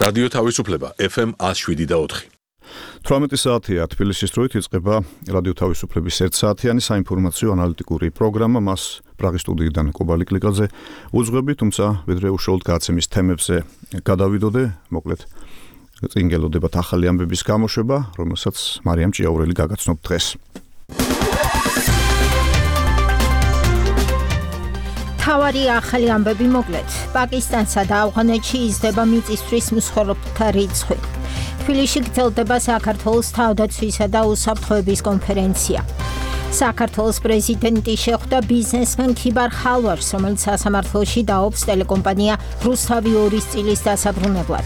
რადიო თავისუფლება FM 107.4. 18 საათია თბილისის დროით იწყება რადიო თავისუფლების 1 საათიანი საინფორმაციო ანალიტიკური პროგრამა. მას პრაღის სტუდიიდან კობალი კლიკაძე უძღვები, თუმცა ვიდრე უშუალოდ გადაცემის თემებზე გადავიდოდე, მოკლედ წინ გელოდებათ ახალი ამბების გამოშვება, რომელსაც მარიამ ჭიაურელი გაგაცნობ დღეს. თავარი ახალი ამბები მოკლედ. პაკისტანსა და ავღანეთში იზრდება მიწისძვრის მსხვერპლთა რიცხვი. თბილისში გრძელდება საქართველოს თავდაცვისა და უსაფრთხოების კონფერენცია. საქართველოს პრეზიდენტი შეხვდა ბიზნესმენ ქიბარ ხალვაშს, რომელიც სასამართლოში დაობს ტელეკომპანია რუსთავი 2-ის წილის დასაბრუნებლად.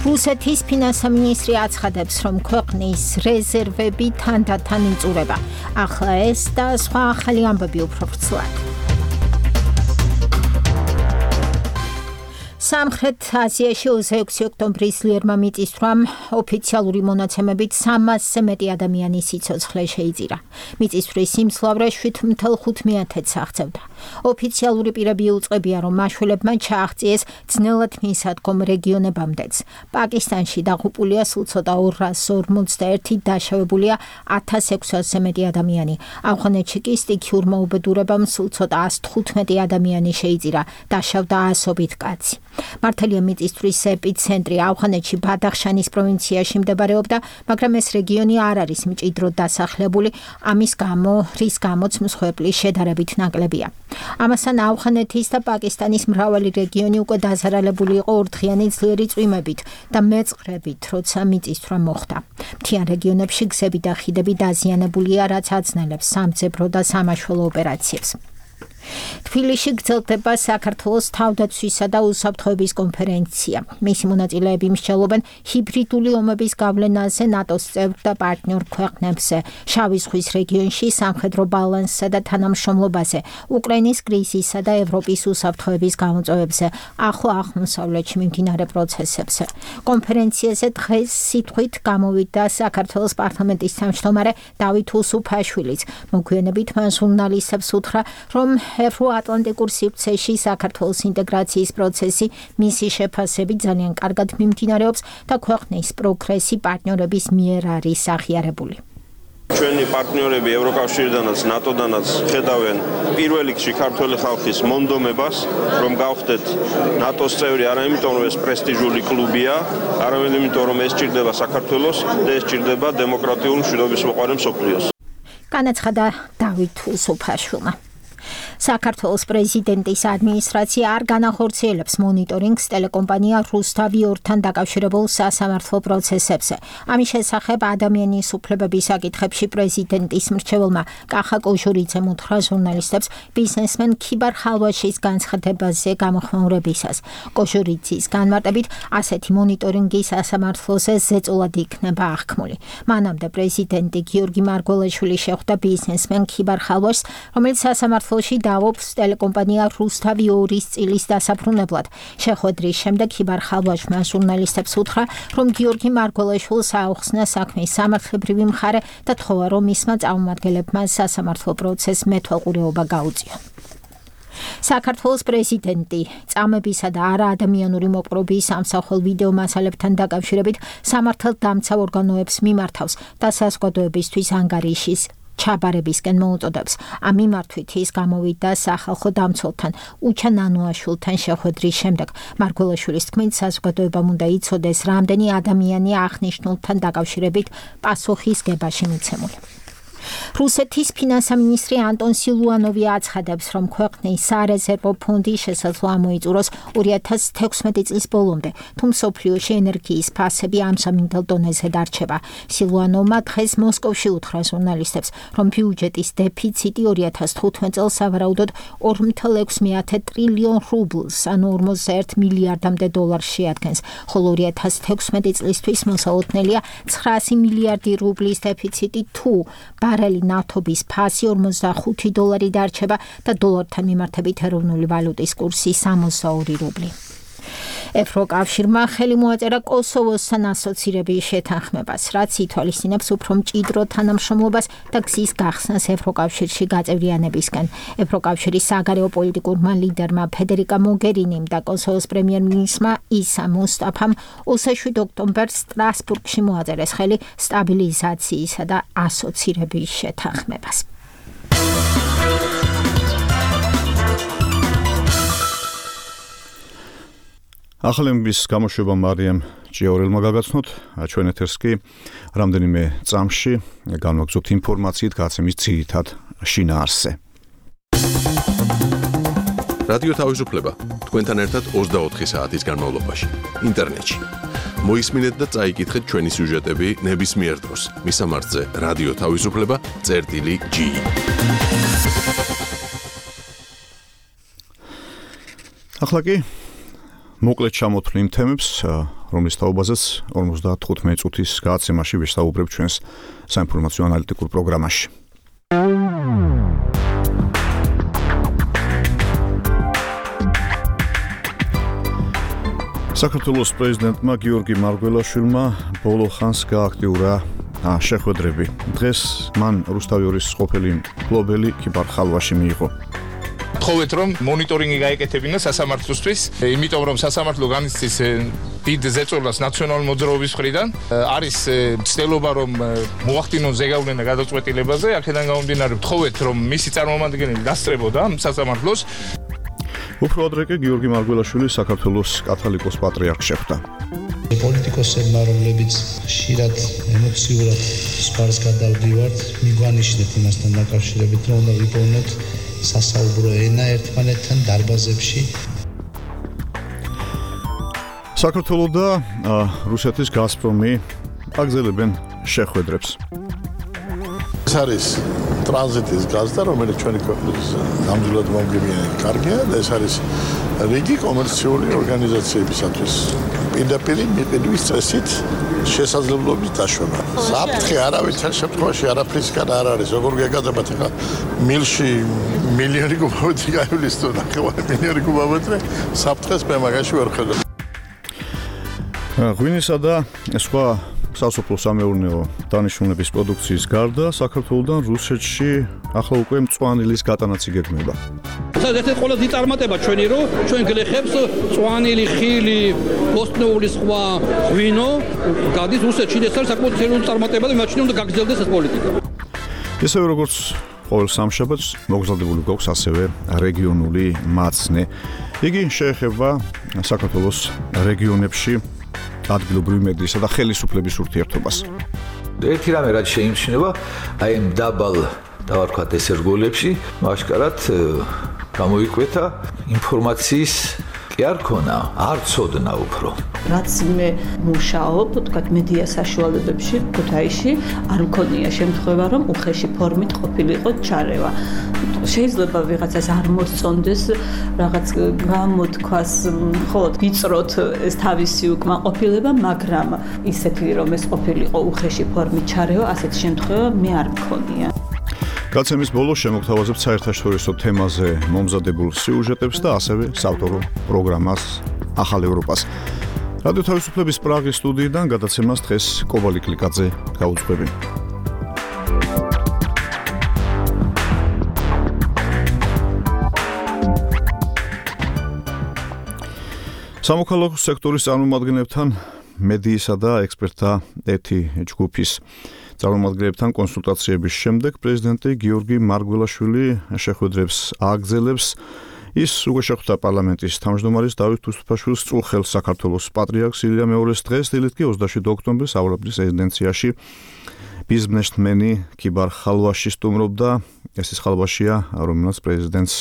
რუსეთის ფინანსთა მინისტრი აცხადებს, რომ ქვეყნის რეზერვები თანდათან იწურება. ახლა ეს და სხვა ახალი ამბები უფრო ვრცლად. სამხრეთ აზიაში 26 ოქტომბრის ძლიერმა მიწისძვრამ ოფიციალური მონაცემებით 300-ზე მეტი ადამიანის სიცოცხლე შეიძირა. მიწისძვრის სიმძლავრე 7.5-ს აღწევდა. ოფიციალური პირები უწყებია, რომ მაშველებმა ჩააღწიეს ძნელად მისადგომ რეგიონებამდეც. პაკისტანში დაღუპულია სულ ცოტა 241, დაშავებულია 1600-ზე მეტი ადამიანი. ავღანეთში კი სტიქიურმა უბედურებამ სულ ცოტა 115 ადამიანი შეიძირა, დაშავდა ასობით კაცი. მართალია მიწისძვრის ეპიცენტრი ავღანეთში ბადახშანის პროვინციაში მდებარეობდა, მაგრამ ეს რეგიონი არ არის მჭიდროდ დასახლებული, ამის გამო, რის გამოც მსხვერპლი შედარებით ნაკლებია. ამასთან ავღანეთის და პაკისტანის მრავალი რეგიონი უკვე დაზარალებული იყო ორდღიანი ძლიერი წვიმებით და მეწყრებით, როცა მიწისძვრა მოხდა. მთიან რეგიონებში გზები და ხიდები დაზიანებულია, რაც აძნელებს სამძებრო და სამაშველო ოპერაციებს. თბილისში გრძელდება საქართველოს თავდაცვისა და უსაფრთხოების კონფერენცია. მისი მონაწილეები მსჯელობენ ჰიბრიდული ომების გავლენაზე ნატოს წევრ და პარტნიორ ქვეყნებზე, შავი ზღვის რეგიონში სამხედრო ბალანსსა და თანამშრომლობაზე, უკრაინის კრიზისსა და ევროპის უსაფრთხოების გამოწვევებზე, ახლო აღმოსავლეთში მიმდინარე პროცესებზე. კონფერენციაზე დღეს სიტყვით გამოვიდა საქართველოს პარლამენტის თავმჯდომარე დავით უსუფაშვილიც. მოგვიანებით მან ჟურნალისტებს უთხრა, რომ ევროატლანტიკურ სივრცეში საქართველოს ინტეგრაციის პროცესი მისი შეფასებით ძალიან კარგად მიმდინარეობს და ქვეყნის პროგრესი პარტნიორების მიერ არის აღიარებული. ჩვენი პარტნიორები ევროკავშირიდანაც, ნატოდანაც ხედავენ პირველ რიგში ქართველი ხალხის მონდომებას, რომ გავხდეთ ნატოს წევრი არა იმიტომ, რომ ეს პრესტიჟული კლუბია, არამედ იმიტომ, რომ ეს სჭირდება საქართველოს და ეს სჭირდება დემოკრატიულ მშვიდობის მოყარე მსოფლიოს. განაცხადა დავით უსუფაშვილმა. საქართველოს პრეზიდენტის ადმინისტრაცია არ განახორციელებს მონიტორინგს ტელეკომპანია რუსთავი 2-თან დაკავშირებულ სასამართლო პროცესებზე. ამის შესახებ ადამიანის უფლებების საკითხებში პრეზიდენტის მრჩეველმა კახა კოჟურიძემ უთხრა ჟურნალისტებს ბიზნესმენ ქიბარ ხალვაშის განცხადებაზე გამოხმაურებისას. კოჟურიძის განმარტებით, ასეთი მონიტორინგი სასამართლოზე ზეწოლად იქნება აღქმული. მანამდე პრეზიდენტი გიორგი მარგველაშვილი შეხვდა ბიზნესმენ ქიბარ ხალვაშს, რომელიც სასამართლოში დაობს ტელეკომპანია რუსთავი 2-ის წილის დასაბრუნებლად. შეხვედრის შემდეგ ქიბარ ხალვაშმა ჟურნალისტებს უთხრა, რომ გიორგი მარგველაშვილს აუხსნა საქმის სამართლებრივი მხარე და თხოვა, რომ მისმა წარმომადგენლებმა სასამართლო პროცესს მეთვალყურეობა გაუწიონ. საქართველოს პრეზიდენტი წამებისა და არაადამიანური მოპყრობის ამსახველ ვიდეო მასალებთან დაკავშირებით სამართალდამცავ ორგანოებს მიმართავს და საზოგადოებისთვის ანგარიშის ჩაბარებისკენ მოუწოდებს. ამ მიმართვით ის გამოვიდა სახალხო დამცველთან უჩა ნანუაშვილთან შეხვედრის შემდეგ. მარგველაშვილის თქმით, საზოგადოებამ უნდა იცოდეს, რამდენი ადამიანი აღნიშნულთან დაკავშირებით პასუხის გებაში მიცემული. რუსეთის ფინანსთა მინისტრი ანტონ სილუანოვი აცხადებს, რომ ქვეყნის სარეზერვო ფონდი შესაძლოა მოიწუროს 2016 წლის ბოლომდე, თუ მსოფლიოში ენერგიის ფასები ამ სამინდელ დონეზე დარჩება. სილუანოვმა დღეს მოსკოვში უთხრა ჟურნალისტებს, რომ ბიუჯეტის დეფიციტი 2015 წელს სავარაუდოდ 2.6 ტრილიონ რუბლს, ანუ 41 მილიარდამდე დოლარს შეადგენს, ხოლო 2016 წლისთვის მოსალოდნელია 900 მილიარდი რუბლის დეფიციტი, თუ ბარელი ნავთობის ფასი 45 დოლარი დარჩება და დოლართან მიმართებით ეროვნული ვალუტის კურსი 62 რუბლი. ევროკავშირმა ხელი მოაწერა კოსოვოსთან ასოცირების შეთანხმებას, რაც ითვალისწინებს უფრო მჭიდრო თანამშრომლობას და გზის გახსნას ევროკავშირში გაწევრიანებისკენ. ევროკავშირის საგარეო პოლიტიკურმა ლიდერმა ფედერიკა მოგერინიმ და კოსოვოს პრემიერ-მინისტრმა ისა მუსტაფამ 27 ოქტომბერს სტრასბურგში მოაწერეს ხელი სტაბილიზაციისა და ასოცირების შეთანხმებას. ახალების გამოშვება მარიამ ჭიაურელმა გაგაცნოთ, ჩვენ ეთერს კი რამდენიმე წამში განვაგრძობთ ინფორმაციით გაცემის ძირითად შინაარსზე. რადიო თავისუფლება თქვენთან ერთად 24 საათის განმავლობაში ინტერნეტში. მოისმინეთ და წაიკითხეთ ჩვენი სიუჟეტები ნებისმიერ დროს მისამართზე რადიო თავისუფლება.gi. ახლა კი მოკლედ ჩამოთვლი იმ თემებს, რომლის თაობაზეც 55 წუთის გადაცემაში ვისაუბრებ ჩვენს საინფორმაციო ანალიტიკურ პროგრამაში. საქართველოს პრეზიდენტმა გიორგი მარგველაშვილმა ბოლო ხანს გააქტიურა შეხვედრები. დღეს მან რუსთავიორის ყოფილი მფლობელი ქიბარ ხალვაში მიიღო. თხოვეთ რომ მონიტორინგი გაეკეთებინა სასამართლოსთვის, იმიტომ რომ სასამართლო განიცდის დიდ ზეწოლას ნაციონალური მოძრაობის მხრიდან, არის ცდილობა რომ მოახდინონ ზეგავლენა გადაწყვეტილებაზე, აქედან გამომდინარე თხოვეთ რომ მისი წარმომადგენელი დასწრებოდა სასამართლოს. უფრო ადრე კი გიორგი მარგველაშვილი საქართველოს კათოლიკოს პატრიარქს შეხვდა. პოლიტიკოსებმა, რომლებიც ხშირად ემოციურად სპარს გადავდივართ, მიგვანიშნეთ იმასთან დაკავშირებით, რომ უნდა ვიპოვნოთ სასაუბრო ენა ერთმანეთთან დარბაზებში. საქართველოს და რუსეთის გაზპრომი აგზელებენ შეხვედრებს. ეს არის ტრანზიტის გაზდა, რომელიც ჩვენი ქვეყნის ნამდვილად მომგებიანი კარგია და ეს არის რიგი კომერციული ორგანიზაციებისათვის პირდაპირ მიყიდვის წესით შესაძლებლობის დაშვება. საფრთხე არავითარ შემთხვევაში არაფრისგან არ არის. როგორ გეკადრებათ ახლა მილში მილიონი კუბომეტრი გაივლის თუ ნახევარი მილიონი კუბომეტრი საფრთხეს მე მაგაში ვერ ხედავ. ღვინისა და სხვა სასოფლო სამეურნეო დანიშნულების პროდუქციის გარდა საქართველოსთან რუსეთში ახლა უკვე მწვანილის გატანაც იგეგმება. ერთ-ერთი ყველაზე წარმატება ჩვენი რომ ჩვენ გლეხებს მწვანილი, ხილი, ბოსტნეული სხვა ღვინო გადის რუსეთში. ეს არის საკმაოდ სერიოზული წარმატება და მაშინ უნდა გაგრძელდეს ეს პოლიტიკა. ისევე როგორც ყოველ სამშაბათს მოგზადებული გვაქვს ასევე რეგიონული მაცნე. იგი შეეხება საქართველოს რეგიონებში ადგილობრივი მედიისა და ხელისუფლების ურთიერთობას. ერთი რამე რაც შეიმჩნევა, აი ამ დაბალ დავარქვათ ეს რგოლებში, მასკარად გამოიკვეთა ინფორმაციის კი არ ქონა, არ ცოდნა უფრო. რაც მე მუშაობ, თქვათ მედია საშუალებებში, ქუთაისში, არ მქონია შემთხვევა, რომ უხეში ფორმით ყოფილიყო ჩარევა. შეიძლება ვიღაცას არ მოსწონდეს რაღაც გამოთქვას, ხო, ვიწროთ ეს თავისი უკმაყოფილება, მაგრამ ისეთი რომ ეს ყოფილიყო უხეში ფორმით ჩარევა, ასეთ შემთხვევა მე არ მქონია. გაცემის ბოლოს შემოგთავაზებთ საერთაშორისო თემაზე მომზადებულ სიუჟეტებს და ასევე საავტორო პროგრამას ახალ ევროპას. რადიო თავისუფლების პრაღის სტუდიიდან გადაცემას დღეს კობალი კლიკაძე გაუძღვები. სამოქალაქო სექტორის წარმომადგენლებთან მედიისა და ექსპერტთა ერთი ჯგუფის წარმომადგენლებთან კონსულტაციების შემდეგ პრეზიდენტი გიორგი მარგველაშვილი შეხვედრებს ააგრძელებს. ის უკვე შეხვდა პარლამენტის თავმჯდომარის დავით უსუფაშვილს წულხელ საქართველოს პატრიარქს ილია მეორეს დღეს, დილით კი 27 ოქტომბერს ავროპის რეზიდენციაში ბიზნესმენი ქიბარ ხალვაში სტუმრობდა. ეს ის ხალვაშია, რომელსაც პრეზიდენტს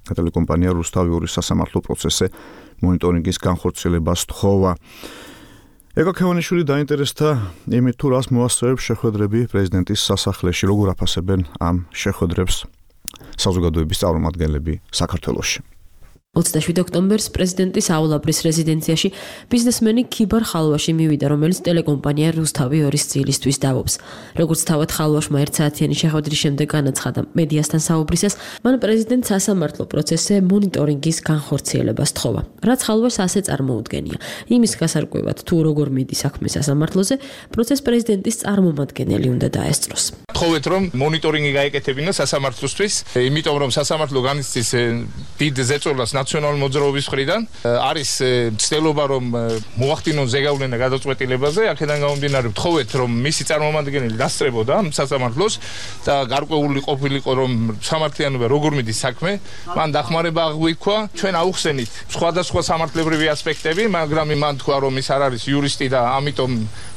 ტელეკომპანია რუსთავიორის სასამართლო პროცესზე მონიტორინგის განხორციელებას თხოვა. ეკა ქევანიშვილი დაინტერესდა იმით, თუ რას მოასწრებს შეხვედრები პრეზიდენტის სასახლეში, როგორ აფასებენ ამ შეხვედრებს საზოგადოების წარმომადგენლები საქართველოში. 27 ოქტომბერს პრეზიდენტის აულაბრის რეზიდენციაში ბიზნესმენი ქიბარ ხალვაში მივიდა, რომელიც ტელეკომპანია რუსთავი 2-ის წილისთვის დავობს. როგორც თავად ხალვაშმა 1 საათიანი შეხვედრის შემდეგ განაცხადა მედიასთან საუბრისას, მან პრეზიდენტს სასამართლო პროცესზე მონიტორინგის განხორციელებას თხოვა. რაც ხალვაშს ასე წარმოუდგენია. იმის გასარკვევად, თუ როგორ მიდის საქმე სასამართლოზე, პროცესს პრეზიდენტის წარმომადგენელი უნდა დაესწროს. თხოვეთ, რომ მონიტორინგი გაეკეთებინა სასამართლოსთვის, იმიტომ რომ სასამართლო განიცდის დიდ ზეწოლას ნაციონალური მოძრაობის მხრიდან, არის ცდილობა რომ მოახდინონ ზეგავლენა გადაწყვეტილებაზე, აქედან გამომდინარე ვთხოვეთ რომ მისი წარმომადგენელი დასწრებოდა სასამართლოს და გარკვეული ყოფილიყო რომ სამართლიანობა როგორ მიდის საქმე, მან დახმარება აღვიქვა, ჩვენ აუხსენით სხვადასხვა სამართლებრივი ასპექტები, მაგრამ მან თქვა რომ ის არ არის იურისტი და ამიტომ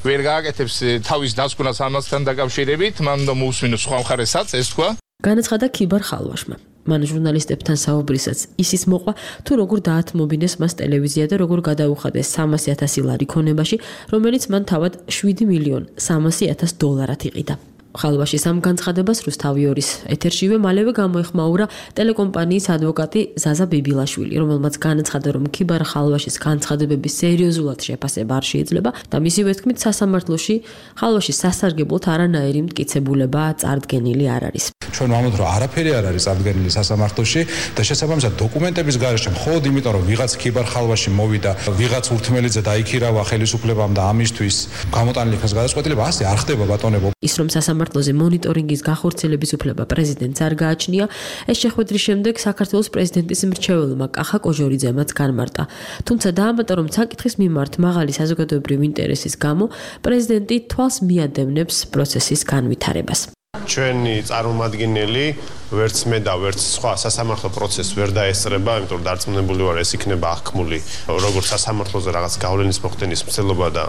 ვერ გააკეთებს თავის დასკვნას ამასთან დაკავშირებით, მან უნდა მოусმინოს სხვა მხარესაც, ეს თქვა. განაცხადა ქიბარ ხალვაშმა. მან ჟურნალისტებთან საუბრისას ისიც მოყვა, თუ როგორ დაათმობინეს მას ტელევიზია და როგორ გადაუხადეს 300,000 ლარი ქონებაში, რომელიც მან თავად 7,300,000 დოლარად იყიდა. ხალვაშის ამ განცხადებას რუსთავი 2-ის ეთერშივე მალევე გამოეხმაურა ტელეკომპანიის ადვოკატი ზაზა ბიბილაშვილი, რომელმაც განაცხადა, რომ ქიბარ ხალვაშის განცხადებების სერიოზულად შეფასება არ შეიძლება და მისივე თქმით სასამართლოში ხალვაშის სასარგებლოდ არანაირი მტკიცებულება წარდგენილი არ არის. ჩვენ ვამბობთ, რომ არაფერი არ არის წარდგენილი სასამართლოში და შესაბამისად დოკუმენტების გარეშე მხოლოდ იმიტომ, რომ ვიღაც ქიბარ ხალვაში მოვიდა, ვიღაც ურთმელიძე დაიქირავა ხელისუფლებამ და ამისთვის გამოტანილი იქნას გადაწყვეტილება, ასე არ ხდება ბატონებო. ის რომ სასამართლოზე მონიტორინგის განხორციელების უფლება პრეზიდენტს არ გააჩნია, ეს შეხვედრის შემდეგ საქართველოს პრეზიდენტის მრჩეველმა კახა კოჟორიძემაც განმარტა. თუმცა დაამატა, რომ საკითხის მიმართ მაღალი საზოგადოებრივი ინტერესის გამო პრეზიდენტი თვალს მიადევნებს პროცესის განვითარებას. ჩვენი წარმომადგენელი ვერც მე და ვერც სხვა სასამართლო პროცესს ვერ დაესწრება, იმიტომ რომ დარწმუნებული ვარ, ეს იქნება აღქმული როგორც სასამართლოზე რაღაც გავლენის მოხდენის მცდელობა და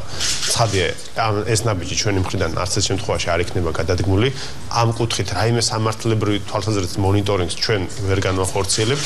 ცხადია, ეს ნაბიჯი ჩვენი მხრიდან არც ერთ შემთხვევაში არ იქნება გადადგმული. ამ კუთხით რაიმე სამართლებრივი თვალსაზრისით მონიტორინგს ჩვენ ვერ განვახორციელებთ,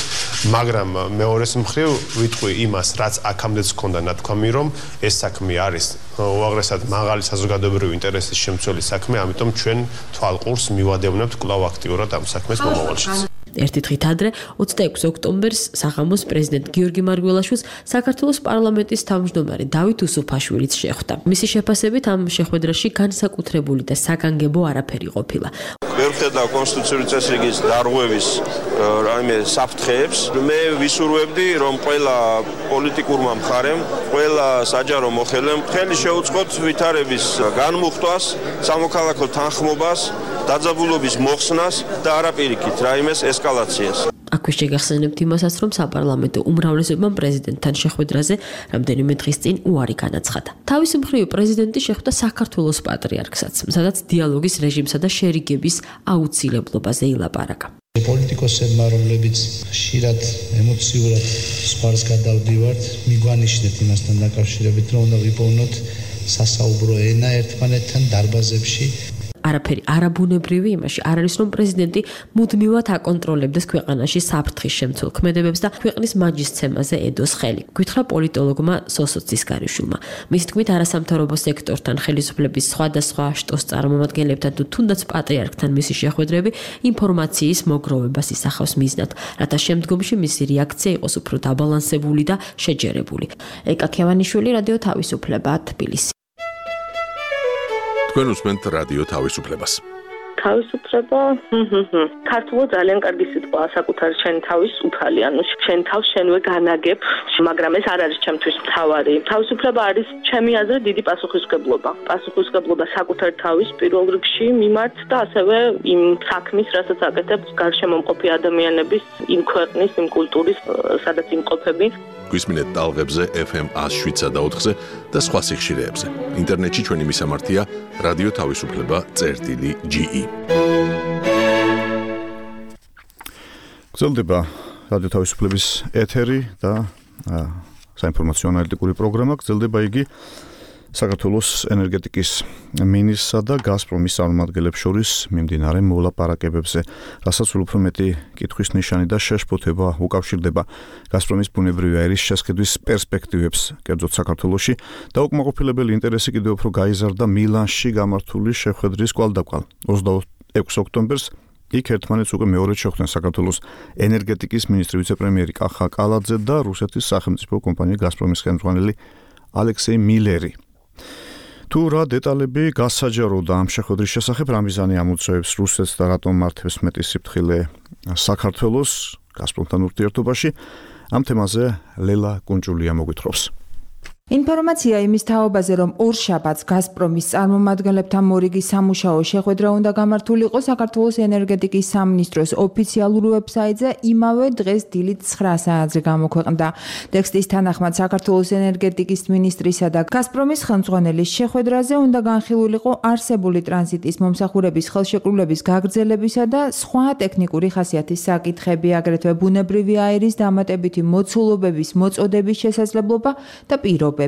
მაგრამ მეორეს მხრივ ვიტყვი იმას, რაც აქამდეც ჰქონდა ნათქვამი, რომ ეს საქმე არის უაღრესად მაღალი საზოგადოებრივი ინტერესის შემცველი საქმე, ამიტომ ჩვენ თვალყურს მივადევნებთ კვლავ აქტიურად ამ საქმეს მომავალში. ერთი დღით ადრე 26 ოქტომბერს საღამოს პრეზიდენტ გიორგი მარგველაშვილს საქართველოს პარლამენტის თავმჯდომარე დავით უსუფაშვილიც შეხვდა. მისი შეფასებით ამ შეხვედრაში განსაკუთრებული და საგანგებო არაფერი ყოფილა. ვერ ხედავ კონსტიტუციური წესრიგის დარღვევის რაიმე საფრთხეებს. მე ვისურვებდი, რომ ყველა პოლიტიკურმა მხარემ, ყველა საჯარო მოხელემ ხელი შეუწყოთ ვითარების განმუხტვას, სამოქალაქო თანხმობას, დაძაბულობის მოხსნას და არაპირიქით რაიმეს ესკალაციას. აქვე შეგახსენებთ იმასაც, რომ საპარლამენტო უმრავლესობამ პრეზიდენტთან შეხვედრაზე რამდენიმე დღის წინ უარი განაცხადა. თავის მხრივ პრეზიდენტი შეხვდა საქართველოს პატრიარქსაც, სადაც დიალოგის რეჟიმსა და შერიგების აუცილებლობაზე ილაპარაკა. პოლიტიკოსებმა, რომლებიც ხშირად ემოციურად სპარს გადავდივართ, მიგვანიშნეთ იმასთან დაკავშირებით, რომ უნდა ვიპოვნოთ სასაუბრო ენა ერთმანეთთან დარბაზებში. არაფერი არაბუნებრივი იმაში არ არის, რომ პრეზიდენტი მუდმივად აკონტროლებდეს ქვეყანაში საფრთხის შემცველ ქმედებებს და ქვეყნის მაჯისცემაზე ედოს ხელი. გითხრა პოლიტოლოგმა სოსო ცისკარიშვილმა. მის თქმით, არასამთავრობო სექტორთან, ხელისუფლების სხვადასხვა შტოს წარმომადგენლებთან თუ თუნდაც პატრიარქთან მისი შეხვედრები ინფორმაციის მოგროვებას ისახავს მიზნად, რათა შემდგომში მისი რეაქცია იყოს უფრო დაბალანსებული და შეჯერებული. ეკა ქევანიშვილი, რადიო თავისუფლება, თბილისი. თქვენ უსმენთ რადიო თავისუფლებას. თავისუფლება, ქართულად ძალიან კარგი სიტყვაა, საკუთარი შენი თავის უფალი, ანუ შენ თავს შენვე განაგებ, მაგრამ ეს არ არის ჩემთვის მთავარი. თავისუფლება არის ჩემი აზრით დიდი პასუხისმგებლობა. პასუხისმგებლობა საკუთარი თავის პირველ რიგში მიმართ და ასევე იმ საქმის, რასაც აკეთებს გარშემო მყოფი ადამიანების, იმ ქვეყნის, იმ კულტურის, სადაც იმყოფები. გვისმინეთ ტალღებზე FM 107.4-ზე და სხვა სიხშირეებზე. ინტერნეტში ჩვენი მისამართია რადიო თავისუფლება.ge. გრძელდება რადიო თავისუფლების ეთერი და საინფორმაციო ანალიტიკური პროგრამა. გრძელდება იგი საქართველოს ენერგეტიკის მინისტრსა და გაზპრომის წარმომადგენლებს შორის მიმდინარე მოლაპარაკებებზე, რასაც უფრო მეტი კითხვის ნიშანი და შეშფოთება უკავშირდება გაზპრომის ბუნებრივი აირის შესყიდვის პერსპექტივებს კერძოდ საქართველოში და უკმაყოფილებელი ინტერესი კიდევ უფრო გაიზარდა მილანში გამართული შეხვედრის კვალდაკვალ 26 ოქტომბერს იქ ერთმანეთს უკვე მეორედ შეხვდნენ საქართველოს ენერგეტიკის მინისტრი ვიცე-პრემიერი კახა კალაძე და რუსეთის სახელმწიფო კომპანია გაზპრომის ხელმძღვანელი ალექსეი მილერი. თუ რა დეტალები გასაჯაროდა ამ შეხვედრის შესახებ, რამიზანი ამოწევს რუსეთს და რატომ მართებს მეტი სიფრთხილე საქართველოს გაზპრომთან ურთიერთობაში, ამ თემაზე ლელა კუნჭულია მოგვითხრობს. ინფორმაცია იმის თაობაზე, რომ ორშაბათს გაზპრომის წარმომადგენლებთან მორიგი სამუშაო შეხვედრა უნდა გამართულიყო საქართველოს ენერგეტიკის სამინისტროს ოფიციალურ ვებსაიტზე იმავე დღეს დილით 9 საათზე გამოქვეყნდა. ტექსტის თანახმად საქართველოს ენერგეტიკის მინისტრისა და გაზპრომის ხელმძღვანელის შეხვედრაზე უნდა განხილულიყო არსებული ტრანზიტის მომსახურების ხელშეკრულების გაგრძელებისა და სხვა ტექნიკური ხასიათის საკითხები, აგრეთვე ბუნებრივი აირის დამატებითი მოცულობების მოწოდების შესაძლებლობა და პირობები.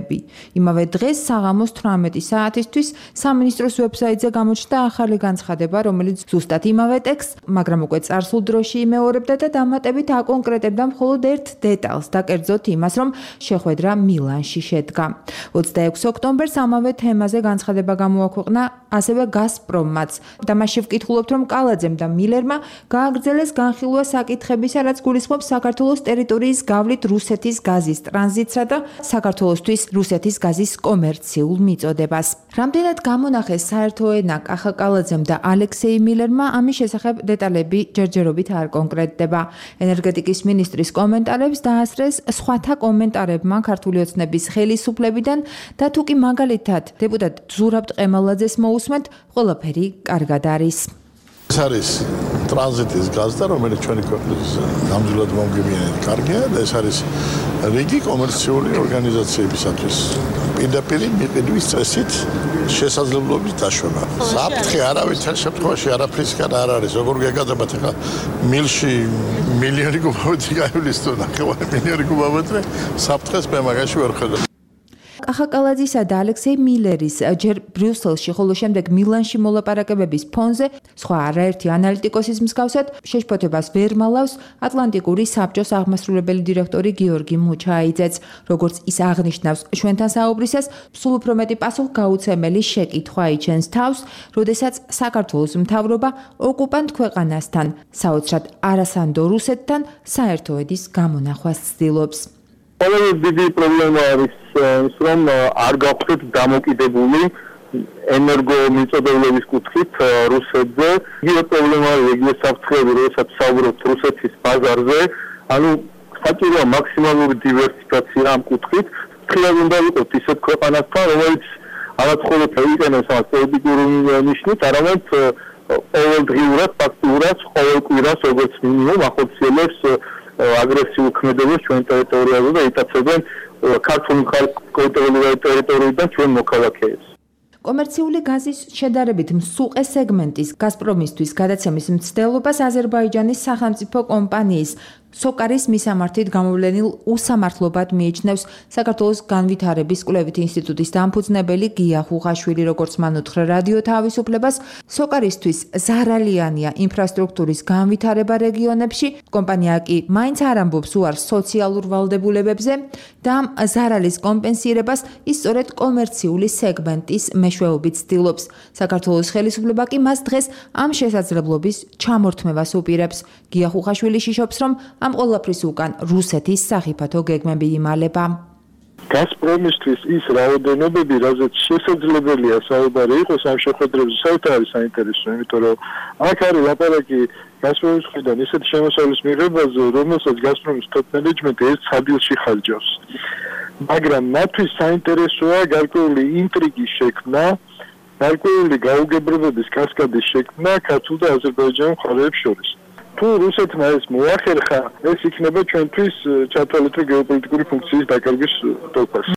იმავე დღეს საღამოს 18 საათისთვის სამინისტროს ვებსაიტზე გამოჩნდა ახალი განცხადება, რომელიც ზუსტად იმავე ტექსტს, მაგრამ უკვე წარსულ დროში იმეორებდა და დამატებით აკონკრეტებდა მხოლოდ ერთ დეტალს და კერძოდ იმას, რომ შეხვედრა მილანში შედგა. 26 ოქტომბერს ამავე თემაზე განცხადება გამოაქვეყნა ასევე გაზპრომმაც და მასში ვკითხულობთ, რომ კალაძემ და მილერმა გააგრძელეს განხილვა საკითხებისა, რაც გულისხმობს საქართველოს ტერიტორიის გავლით რუსეთის გაზის ტრანზიტსა და საქართველოსთვის რუსეთის გაზის კომერციულ მიწოდებას. რამდენად გამონახეს საერთო ენა კახა კალაძემ და ალექსეი მილერმა, ამის შესახებ დეტალები ჯერჯერობით არ კონკრეტდება. ენერგეტიკის მინისტრის კომენტარებს დაასწრეს სხვათა კომენტარებმა ქართული ოცნების ხელისუფლებიდან და თუ კი მაგალითად დეპუტატ ზურაბ ტყემალაძეს მოусმენთ, ყველაფერი კარგად არის. ეს არის ტრანზიტის გაზდა, რომელიც ჩვენი ქვეყნის ნამდვილად მომგებიანი კარგია და ეს არის რიგი კომერციული ორგანიზაციებისათვის პირდაპირ მიყიდვის წესით შესაძლებლობის დაშვება. საფრთხე არავითარ შემთხვევაში არაფრისგან არ არის. როგორ გეგადებათ ახლა მილში მილიონი კუბომეტრი გაივლის თუ ნახევარი მილიონი კუბომეტრი საფრთხეს მე მაგაში ვერ ხედავ. კახა კალაძისა და ალექსეი მილერის ჯერ ბრიუსელში, ხოლო შემდეგ მილანში მოლაპარაკებების ფონზე სხვა არაერთი ანალიტიკოსის მსგავსად შეშფოთებას ვერ მალავს ატლანტიკური საბჭოს აღმასრულებელი დირექტორი გიორგი მუჩაიძეც. როგორც ის აღნიშნავს, ჩვენთან საუბრისას სულ უფრო მეტი პასუხგაუცემელი შეკითხვა იჩენს თავს, როდესაც საქართველოს მთავრობა ოკუპანტ ქვეყანასთან, საოცრად არასანდო რუსეთთან საერთო ედის გამონახვას ცდილობს. ყველაზე დიდი პრობლემა არის ის, რომ არ გავხდეთ დამოკიდებული ენერგომიწოდებლების კუთხით რუსეთზე. იგივე პრობლემა არის იგივე საფრთხეები, როდესაც საუბრობთ რუსეთის ბაზარზე. ანუ საჭიროა მაქსიმალური დივერსიფიკაცია ამ კუთხით. ფრთხილად უნდა ვიყოთ ისეთ ქვეყანასთან, რომელიც არც მხოლოდ იყენებს ამ პოლიტიკურ ნიშნით, არამედ ყოველდღიურად, ფაქტურად, ყოველ კვირას როგორც მინიმუმ ახორციელებს აგრესიულ ქმედებას ჩვენ ტერიტორიაზე და იტაცებენ ქართულ ტერიტორიიდან ჩვენ მოქალაქეებს. კომერციული გაზის შედარებით მსუყე სეგმენტის გაზპრომისთვის გადაცემის მცდელობას აზერბაიჯანის სახელმწიფო კომპანიის სოკარის მისამართით გამოვლენილ უსამართლობად მიიჩნევს საქართველოს განვითარების კვლევით ინსტიტუტის დამფუძნებელი გია ხუხაშვილი, როგორც მან უთხრა რადიო თავისუფლებას, სოკარისთვის ზარალიანია ინფრასტრუქტურის განვითარება რეგიონებში, კომპანია კი მაინც არ ამბობს უარს სოციალურ ვალდებულებებზე და ამ ზარალის კომპენსირებას ის სწორედ კომერციული სეგმენტის მეშვეობით ცდილობს. საქართველოს ხელისუფლება კი მას დღეს ამ შესაძლებლობის ჩამორთმევას უპირებს. გია ხუხაშვილი შიშობს, რომ ამ ყველაფრის უკან რუსეთის სახიფათო გეგმები იმალება. გაზპრომისთვის ის რაოდენობები, რაზეც შესაძლებელია საუბარი იყოს ამ შეხვედრებზე, საერთოდ არის საინტერესო, იმიტომ რომ აქ არის ლაპარაკი გაზპრომის მხრიდან ისეთი შემოსავლის მიღებაზე, რომელსაც გაზპრომის top management ერთ სადილში ხარჯავს. მაგრამ მათთვის საინტერესოა გარკვეული ინტრიგის შექმნა, გარკვეული გაუგებრობების კასკადის შექმნა ქართულ და აზერბაიჯანულ მხარეებს შორის. თუ რუსეთმა ეს მოახერხა, ეს იქნება ჩვენთვის ჩათვალეთ გეოპოლიტიკური ფუნქციის დაკარგვის ტოლფას.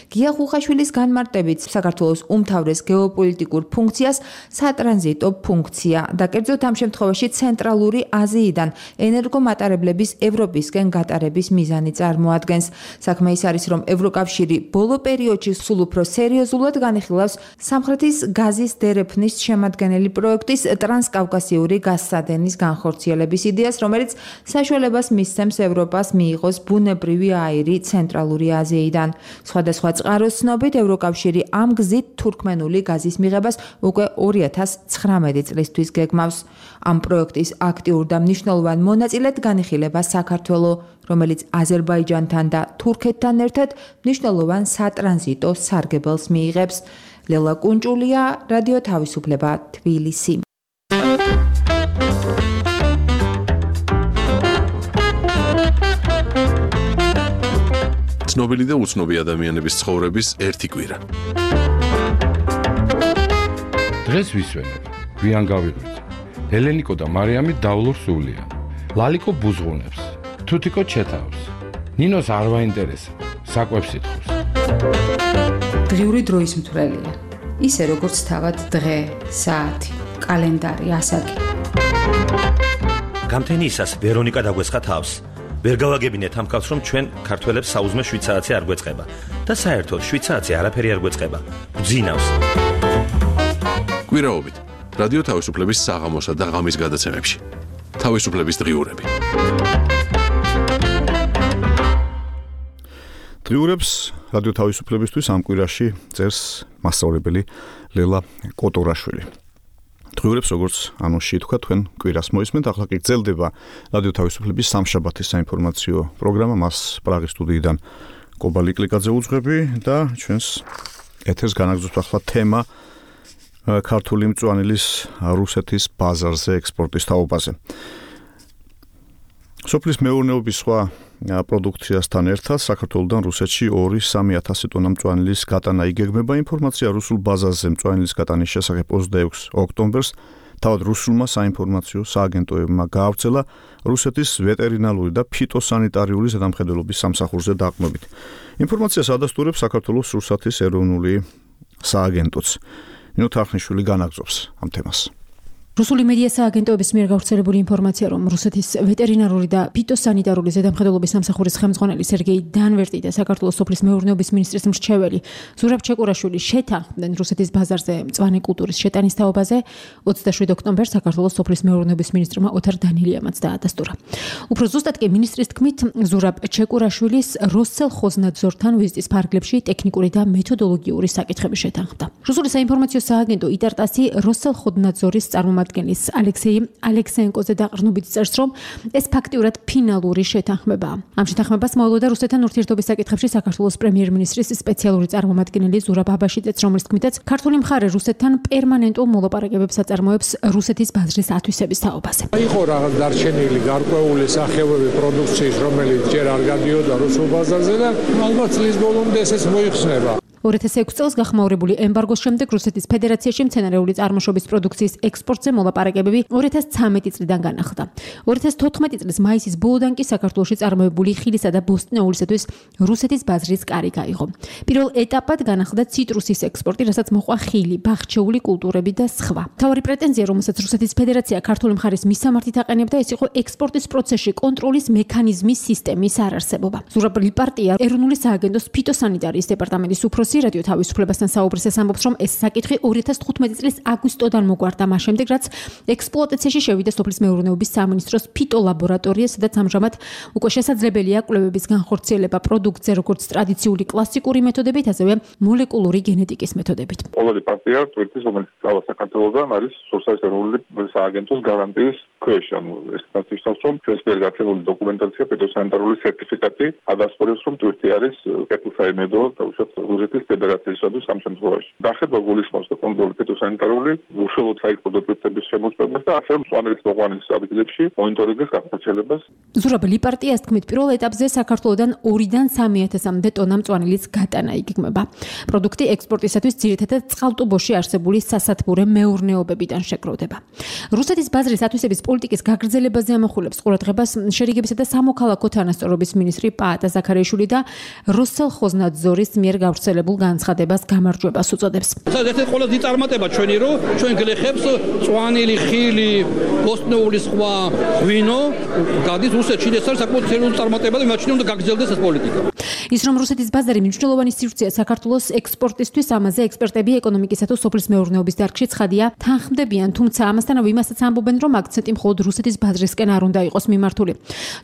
გია ხუხაშვილის განმარტებით საქართველოს უმთავრეს გეოპოლიტიკურ ფუნქციას სატრანზიტო ფუნქცია და კერძოდ ამ შემთხვევაში ცენტრალური აზიიდან ენერგომატარებლების ევროპისკენ გატარების მიზანი წარმოადგენს. საქმე ის არის, რომ ევროკავშირი ბოლო პერიოდში სულ უფრო სერიოზულად განიხილავს სამხრეთის გაზის დერეფნის შემადგენელი პროექტის ტრანსკავკასიური გაზსადენის განხორციელების იდეას, რომელიც საშუალებას მისცემს ევროპას მიიღოს ბუნებრივი აირი ცენტრალური აზიიდან. სხვადასხვა წყაროს ცნობით ევროკავშირი ამ გზით თურქმენული გაზის მიღებას უკვე 2019 წლისთვის გეგმავს. ამ პროექტის აქტიურ და მნიშვნელოვან მონაწილედ განიხილება საქართველო, რომელიც აზერბაიჯანთან და თურქეთთან ერთად მნიშვნელოვან სატრანზიტო სარგებელს მიიღებს. ლელა კუნჭულია, რადიო თავისუფლება, თბილისი. ცნობილი და უცნობი ადამიანების ცხოვრების ერთი კვირა. დღეს ვისვენებ, გვიან გავიღვიძე. ელენიკო და მარიამი დავლობს სულიან. ლალიკო ბუზღუნებს, თუთიკო ჩეთავს. ნინოს არ ვაინტერესებს, საკვებს ითხოვს. დღიური დროის მთვრელია. ისე როგორც თავად დღე, საათი, კალენდარი, ასაკი. გამთენიისას ვერონიკა დაგვესხა თავს. ვერ გავაგებინეთ ამ კაცს, რომ ჩვენ ქართველებს საუზმე შვიცარაცი არ გვეწყება და საერთოდ შვიცარაცი არაფერი არ გვეწყება. გძინავს. კვირაობით რადიო თავისუფლების საღამოსა და ღამის გადაცემებში. თავისუფლების დღიურები. დღიურებს რადიო თავისუფლებისთვის ამ კვირაში წერს მასწავლებელი ლელა კოტორაშვილი. დღიურებს როგორც ანონსში თქვა, თქვენ კვირას მოისმენთ, ახლა კი გრძელდება რადიო თავისუფლების სამშაბათის საინფორმაციო პროგრამა, მას პრაღის სტუდიიდან კობალი კლიკაძე უძღვები და ჩვენს ეთერს განაგრძობს ახლა თემა ქართული მწვანილის რუსეთის ბაზარზე ექსპორტის თაობაზე. სოფლის მეურნეობის სხვა პროდუქციასთან ერთად საქართველოდან რუსეთში 2-3 ტონა მწვანილის გატანა იგეგმება. ინფორმაცია რუსულ ბაზარზე მწვანილის გატანის შესახებ 26 ოქტომბერს თავად რუსულმა საინფორმაციო სააგენტოებმა გაავრცელა რუსეთის ვეტერინარული და ფიტოსანიტარიული ზედამხედველობის სამსახურზე დაყრდნობით. ინფორმაციას ადასტურებს საქართველოს რუსეთის ეროვნული სააგენტოც. ნინო თარხნიშვილი განაგრძობს ამ თემას. რუსული მედია სააგენტოების მიერ გავრცელებული ინფორმაცია, რომ რუსეთის ვეტერინარული და ფიტოსანიტარული ზედამხედველობის სამსახურის ხელმძღვანელი სერგეი დანვერტი და საქართველოს სოფლის მეურნეობის მინისტრის მრჩეველი ზურაბ ჩეკურაშვილი შეთანხმდნენ რუსეთის ბაზარზე მწვანე კულტურის შეტანის თაობაზე. 27 ოქტომბერს საქართველოს სოფლის მეურნეობის მინისტრმა ოთარ დანილიამაც დაადასტურა. უფრო ზუსტად კი მინისტრის თქმით, ზურაბ ჩეკურაშვილის როსელხოзнадзорთან ვიზიტის ფარგლებში ტექნიკური და მეთოდოლოგიური საკითხები შეთანხმდა. რუსული საინფორმაციო სააგენტო იტარტასი როსელხოзнадзорის წარმომადგენლის ალექსეი ალექსეენკოზე დაყრდნობით წერს, რომ ეს ფაქტიურად ფინალური შეთანხმებაა. ამ შეთანხმებას მოელოდა რუსეთთან ურთიერთობის საკითხებში საქართველოს პრემიერ-მინისტრის სპეციალური წარმომადგენელი ზურაბ აბაშიძეც, რომლის თქმითაც ქართული მხარე რუსეთთან პერმანენტულ მოლაპარაკებებს აწარმოებს რუსეთის ბაზრის ათვისების თაობაზე. იყო რაღაც დარჩენილი გარკვეული სახეობები პროდუქციის, რომელიც ჯერ არ გადიოდა რუსულ ბაზარზე და ალბათ წლის ბოლომდე ესეც მოიხსნება. 2006 წელს გახმაურებული ემბარგოს შემდეგ რუსეთის ფედერაციაში მცენარეული წარმოშობის პროდუქციის ექსპორტზე მოლაპარაკებები 2013 წლიდან განახლდა. 2014 წლის მაისის ბოლოდან კი საქართველოში წარმოებული ხილისა და ბოსტნეულისათვის რუსეთის ბაზრის კარი გაიღო. პირველ ეტაპად განახლდა ციტრუსის ექსპორტი, რასაც მოყვა ხილი, ბაღჩეული კულტურები და სხვა. მთავარი პრეტენზია, რომელსაც რუსეთის ფედერაცია ქართული მხარის მისამართით აყენებდა, ეს იყო ექსპორტის პროცესში კონტროლის მექანიზმის სისტემის არარსებობა. ზურაბ ლიპარტია ეროვნული სააგენტოს ფიტოსანიტარიის დეპარტამენტის უფროსი რადიო თავისუფლებასთან საუბრისას ამბობს, რომ ეს საკითხი 2015 წლის აგვისტოდან მოგვარდა, მას შემდეგ რაც ექსპლუატაციაში შევიდა სოფლის მეურნეობის სამინისტროს ფიტოლაბორატორია, სადაც ამჟამად უკვე შესაძლებელია კვლევების განხორციელება პროდუქტზე, როგორც ტრადიციული კლასიკური მეთოდებით, ასევე მოლეკულური გენეტიკის მეთოდებით. ყოველი პარტია თვითონ რომელიც წავა საქართველოსთან არის სოციალისტ ეროვნული სააგენტოს გარანტიის ქვეშ. ეს თვითონ რომ ჩვენს გაცემული დოკუმენტაცია ფიტოსანიტარული სერტიფიკატი ადასტურებს, რომ თვითონ არის კეთილსაიმედო თავშოთ რუსეთის ფედერაციისათვის ამ შემთხვევაში. დახედვა გულისხმობს და კონტროლი ფიტოსანიტარული უშუალოდ საერთო პროდუქტების შემოწმებას და ასევე მწვანელის მოყვანის საფუძვლებში მონიტორინგის გაგრძელებას. ზურაბ ლიპარტიას თქმით, პირველ ეტაპზე საქართველოსთან 2-დან 3,000-მდე ტონა მწვანელის გატანა იგეგმება. პროდუქტი ექსპორტისათვის ძირითადად წყალტუბოში არსებული სასათბურე მეურნეობებიდან შეგროვდება. რუსეთის ბაზრის ათვისების პოლიტიკის გაგრძელებაზე ამახვილებს ყურადღებას შერიგებისა და სამოქალაქო თანასწორობის მინისტრი პაატა ზაქარიაშვილი და როსელხოзнадзорის მიერ გავრცელებულ განცხადებას გამარჯვებას უწოდებს. ეს ყველაზე დიდი წარმატება ჩვენი, რომ ჩვენ გლეხებს მწვანილი, ხილი, ბოსტნეული სხვა ღვინო გადის რუსეთში. ეს არის საკმაოდ ცელული წარმატება და იმაჩნია უნდა გაგრძელდეს ეს პოლიტიკა. ის რომ რუსეთის ბაზარი მნიშვნელოვანი სივრცეა საქართველოს ექსპორტისთვის, ამაზე ექსპერტები ეკონომიკისა თუ სოფლის მეურნეობის დარგში ცხადია თანხმდებიან, თუმცა ამასთანავე იმასაც ამბობენ, რომ აქცენტი მხოლოდ რუსეთის ბაზრისკენ არ უნდა იყოს მიმართული.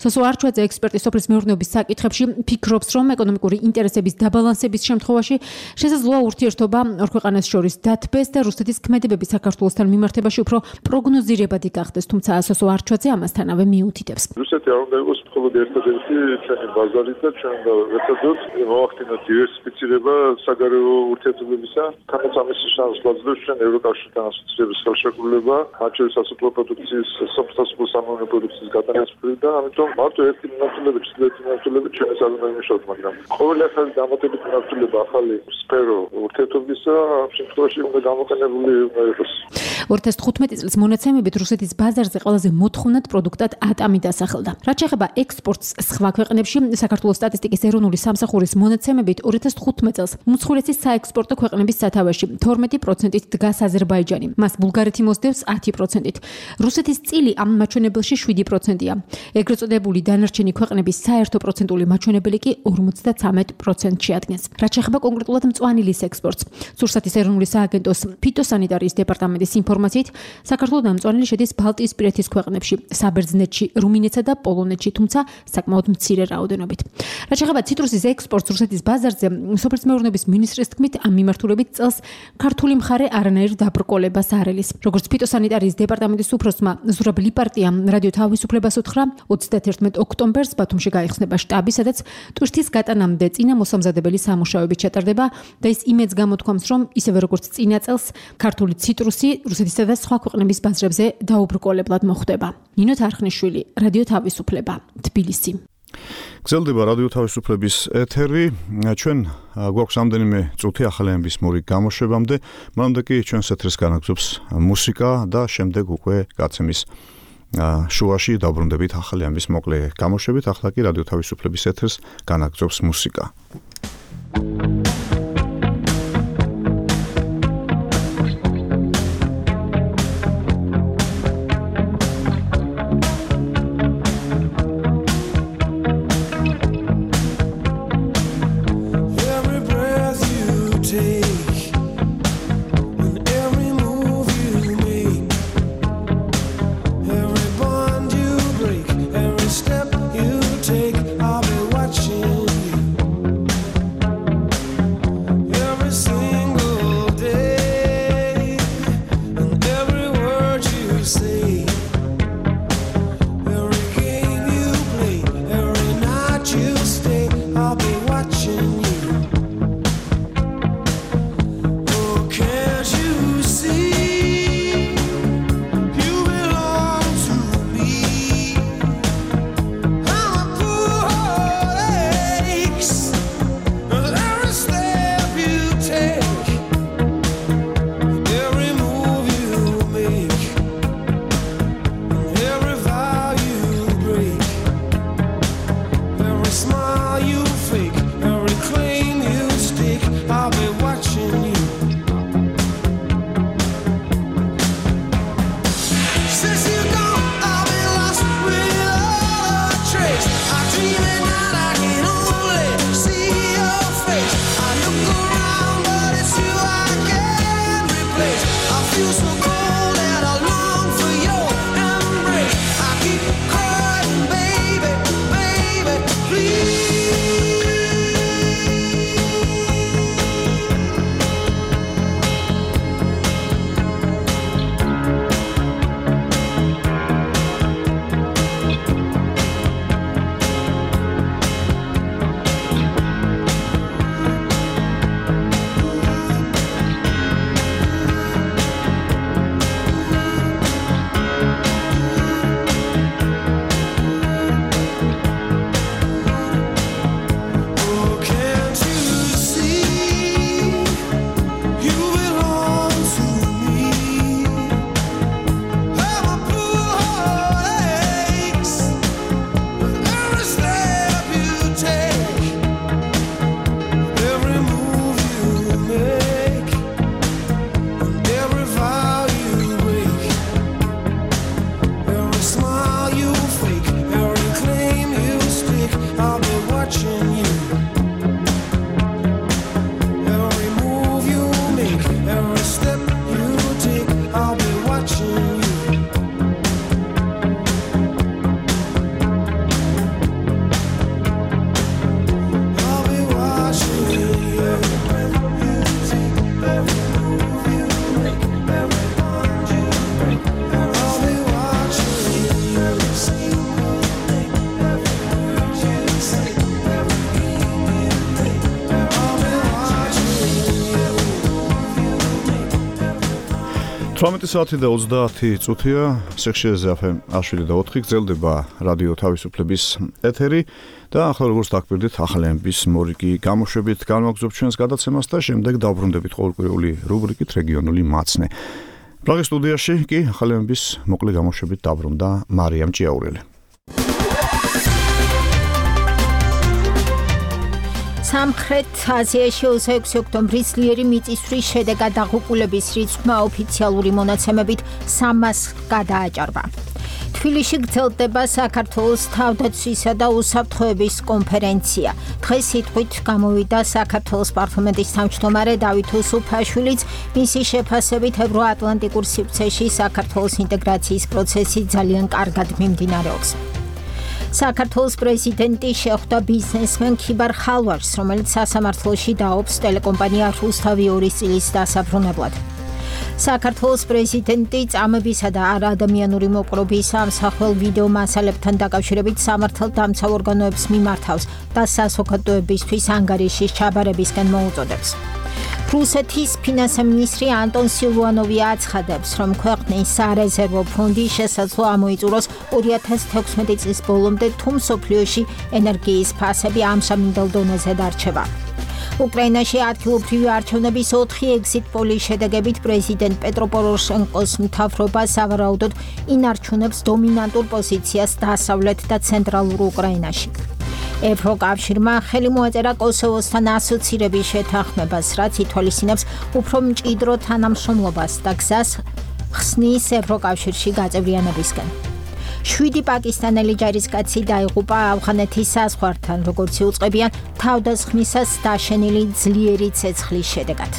სოსო არჩვაძე ექსპერტი სოფლის მეურნეობის საკითხებში ფიქრობს, რომ ეკონომიკური ინტერესების დაბალანსების შემთხვევაში შესაძლოა ურთიერთობა ორ ქვეყანას შორის დათბეს და რუსეთის ქმედებები საქართველოსთან მიმართებაში უფრო პროგნოზირებადი გახდეს, თუმცა სოსო არჩვაძე ამასთანავე მიუთითებს. რუსეთი არ უნდა იყოს მხოლოდ ერთადერთი ჩვენი ბაზარი და ჩვენ ერთადერთად მოახდინოთ დივერსიფიცირება საგარეო ურთიერთობებისა. თანაც ამის შესაძლებლად ჩვენ ევროკავშირთან ასოცირების ხელშეკრულება, მათ შორის სასოფლო პროდუქციის, სასოფლო სამეურნეო პროდუქციის გატანას და ამიტომ მარტო ერთი მიმართულებით, ჩრდილოეთი მიმართულებით ჩვენ ეს არ უნდა იმუშაოთ, მაგრამ ყოველი ახალი დამატებით მიმართულება, ახალი სფერო ურთიერთობისა ამ შემთხვევაში უნდა გამოყენებული იყოს. 2015 წლის მონაცემებით რუსეთის ბაზარზე ყველაზე მოთხოვნად პროდუქტად ატამი დასახელდა. რაც შეეხება ექსპორტს სხვა ქვეყნებში, საქართველოს სტატისტიკის ეროვნული სამსახურის მონაცემებით 2015 წელს უმსხვილესი საექსპორტო ქვეყნების სათავეში 12%-ით დგას აზერბაიჯანი. მას ბულგარეთი მოსდევს 10%-ით. რუსეთის წილი ამ მაჩვენებელში 7%-ია. ეგრეთ წოდებული დანარჩენი ქვეყნების საერთო პროცენტული მაჩვენებელი კი 53%-ში ადგენს. რაც შეეხება კონკრეტულად მწვანილის ექსპორტს, სურსათის ეროვნული სააგენტოს ფიტოსანიტარიის დეპარტამენტის ინფორმაციით, საქართველოს მწვანილი შედის ბალტიისპირეთის ქვეყნებში, საბერძნეთში, რუმინეთსა და პოლონეთში, თუმცა საკმაოდ მცირე რაოდენობით. რაც შეეხება ციტრუსის ექსპორტს რუსეთის ბაზარზე, სოფლის მეურნეობის მინისტრის თქმით, ამ მიმართულებით წელს ქართული მხარე არანაირ დაბრკოლებას არ ელის. როგორც ფიტოსანიტარიის დეპარტამენტის უფროსმა ზურაბ ლიპარტიამ რადიო თავისუფლებას უთხრა, 31 ოქტომბერს ბათუმში გაიხსნება შტაბი, სადაც ტვირთის გატანამდე წინა მოსამზადებელი სამუშაოები ჩატარდება და ის იმედს გამოთქვამს, რომ ისევე როგორც წინა წელს ქართული ციტრუსი რუსეთისა და სხვა ქვეყნების ბაზრებზე დაუბრკოლებლად მოხვდება. ნინო თარხნიშვილი, რადიო თავისუფლება, თბილისი. გრძელდება რადიო თავისუფლების ეთერი. ჩვენ გვაქვს ამდენიმე წუთი ახალი ამბის მორიგ გამოშვებამდე, მანამდე კი ჩვენს ეთერს განაგზობს მუსიკა და შემდეგ უკვე გაცემის შუაში დავბრუნდებით ახალი ამბის მოკლე გამოშვებით. ახლა კი რადიო თავისუფლების ეთერს განაგზობს მუსიკა. Step you take, I'll be watching you. 18 საათი და 30 წუთია სექციაზე FM 107 გრძელდება რადიო თავისუფლების ეთერი და ახლა როგორც დაგკვირდით ახალების მორიგი გამოშვებით განვაგრძობთ ჩვენს გადაცემას და შემდეგ დავბრუნდებით ყოველკვირეული რუბრიკით რეგიონული მაცნე. პრაღის სტუდიაში კი ახალების მოკლე გამოშვებით დაბრუნდა მარიამ ჭიაურელი. სამხრეთ აზიაში 26 ოქტომბრის ძლიერი მიწისძვრის შედეგად დაღუპულების რიცხვმა ოფიციალური მონაცემებით 300-ს გადააჭარბა. თბილისში გრძელდება საქართველოს თავდაცვისა და უსაფრთხოების კონფერენცია. დღეს სიტყვით გამოვიდა საქართველოს პარლამენტის თავმჯდომარე დავით უსუფაშვილიც, მისი შეფასებით ევროატლანტიკურ სივრცეში საქართველოს ინტეგრაციის პროცესი ძალიან კარგად მიმდინარეობს. საქართველოს პრეზიდენტი შეხვდა ბიზნესმენ ქიბარ ხალვაშს, რომელიც სასამართლოში დაობს ტელეკომპანია რუსთავი 2 წილის დასაბრუნებლად. საქართველოს პრეზიდენტი წამებისა და არაადამიანური მოპყრობის ამსახველ ვიდეო მასალებთან დაკავშირებით სამართალდამცავ ორგანოებს მიმართავს და საზოგადოებისთვის ანგარიშის ჩაბარებისკენ მოუწოდებს. რუსეთის ფინანსთა მინისტრი ანტონ სილვანოვი აცხადებს, რომ ქვეყნის სარეზერვო ფონდი შესაძლოა ამოიწუროს 2016 წლის ბოლომდე, თუ მსოფლიოში ენერგიის ფასები ამჟამინდელ დონეზე დარჩება. უკრაინაში ადგილობრივი არჩევნების 4 ეგზიტ პოლის შედეგებით პრეზიდენტ პეტრო პოროშენკოს მთავრობა სავარაუდოდ ინარჩუნებს დომინანტურ პოზიციას დასავლეთ და ცენტრალურ უკრაინაში. ევროკავშირმა ხელი მოაწერა კოსოვოსთან ასოცირების შეთანხმებას, რაც ითვალისწინებს უფრო მჭიდრო თანამშრომლობას და გზას ხსნის ევროკავშირში გაწევრიანებისკენ. 7 პაკისტანელი ჯარისკაცი დაიღუპა ავღანეთის საზღვართან, როგორც იუწყებიან თავდასხმისას დაშენილი ძლიერი ცეცხლის შედეგად.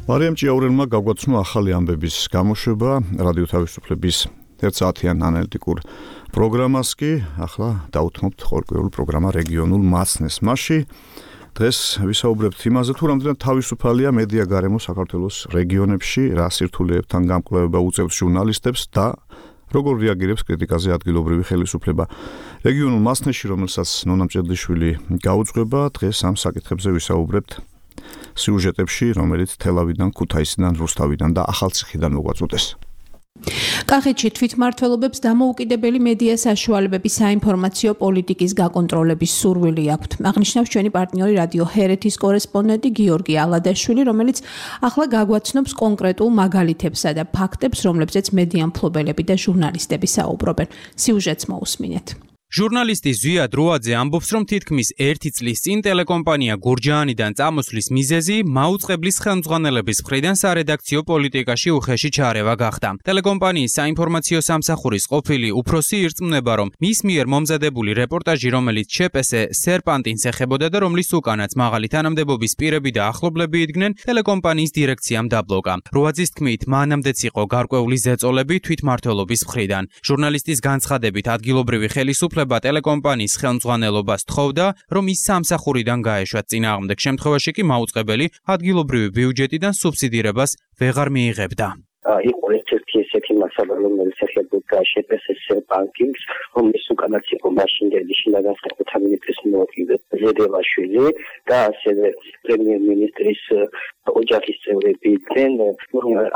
მარიამ ჭიაურელმა გაგვაცნო ახალი ამბების გამოშვება რადიო თავისუფლების 1 საათიან ანალიტიკურ პროგრამას კი ახლა დავუთმობთ ყოველკვირეულ პროგრამა რეგიონულ მაცნეს. მასში დღეს ვისაუბრებთ იმაზე, თუ რამდენად თავისუფალია მედია გარემო საქართველოს რეგიონებში, რა სირთულეებთან გამკვლევება უწევს ჟურნალისტებს და როგორ რეაგირებს კრიტიკაზე ადგილობრივი ხელისუფლება. რეგიონულ მაცნეში, რომელსაც ნონა მჭედლიშვილი გაუძღვება, დღეს ამ საკითხებზე ვისაუბრებთ სიუჟეტებში, რომელიც თელავიდან, ქუთაისიდან, რუსთავიდან და ახალციხიდან მოგვაწყვეტეს. კახეთში თვითმმართველობებს დამოუკიდებელი მედია საშუალებების საინფორმაციო პოლიტიკის გაკონტროლების სურვილი აქვთ. აღნიშნავს ჩვენი პარტნიორი რადიო ჰერეთის კორესპონდენტი გიორგი ალადაშვილი, რომელიც ახლა გაგვაცნობს კონკრეტულ მაგალითებსა და ფაქტებს, რომლებზეც მედია მფლობელები და ჟურნალისტები საუბრობენ. სიუჟეტს მოусმინეთ. ჟურნალისტი ზვიად როაძე ამბობს, რომ თითქმის 1 წლის წინ ტელეკომპანია გურჯაანიდან წამოსვლის მიზეზი მაუწყებლის ხელმძღვანელების მხრიდან სარედაქციო პოლიტიკაში უხეში ჩარევა გახდა. ტელეკომპანიის საინფორმაციო სამსახურის ყოფილი უფროსი ირწმუნება, რომ მის მიერ მომზადებული რეპორტაჟი, რომელიც ЧП-ზე სერპანტინს ეხებოდა და რომლის უკანაც მაღალი თანამდებობის პირები და ახლობლები იდგნენ, ტელეკომპანიის დირექციამ დაბლოკა. როაძის თქმით, მანამდეც იყო გარკვეული ზეწოლები თვითმმართველობის მხრიდან. ჟურნალისტის განცხადებით, ადგილობრივი ხელისუფლება ტელეკომპანიის ხელმძღვანელობას თხოვდა, რომ ის სამსახურიდან გაეშვათ. წინააღმდეგ შემთხვევაში კი მაუწყებელი ადგილობრივი ბიუჯეტიდან სუბსიდირებას ვეღარ მიიღებდა. იყო ერთ-ერთი ესეთი მასალა, რომელიც ეხებოდა ЧП-ს ბანკინგს, რომლის უკანაც იყო მაშინდელი შინაგანსაკუთრებათა მინისტრის მოადგილე ზედელაშვილი და ასევე პრემიერ-მინისტრის ოჯახის წევრები იყვნენ.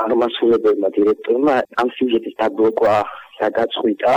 აღმასრულებელმა დირექტორმა ამ სიუჟეტის დაბლოკვა გადაწყვიტა,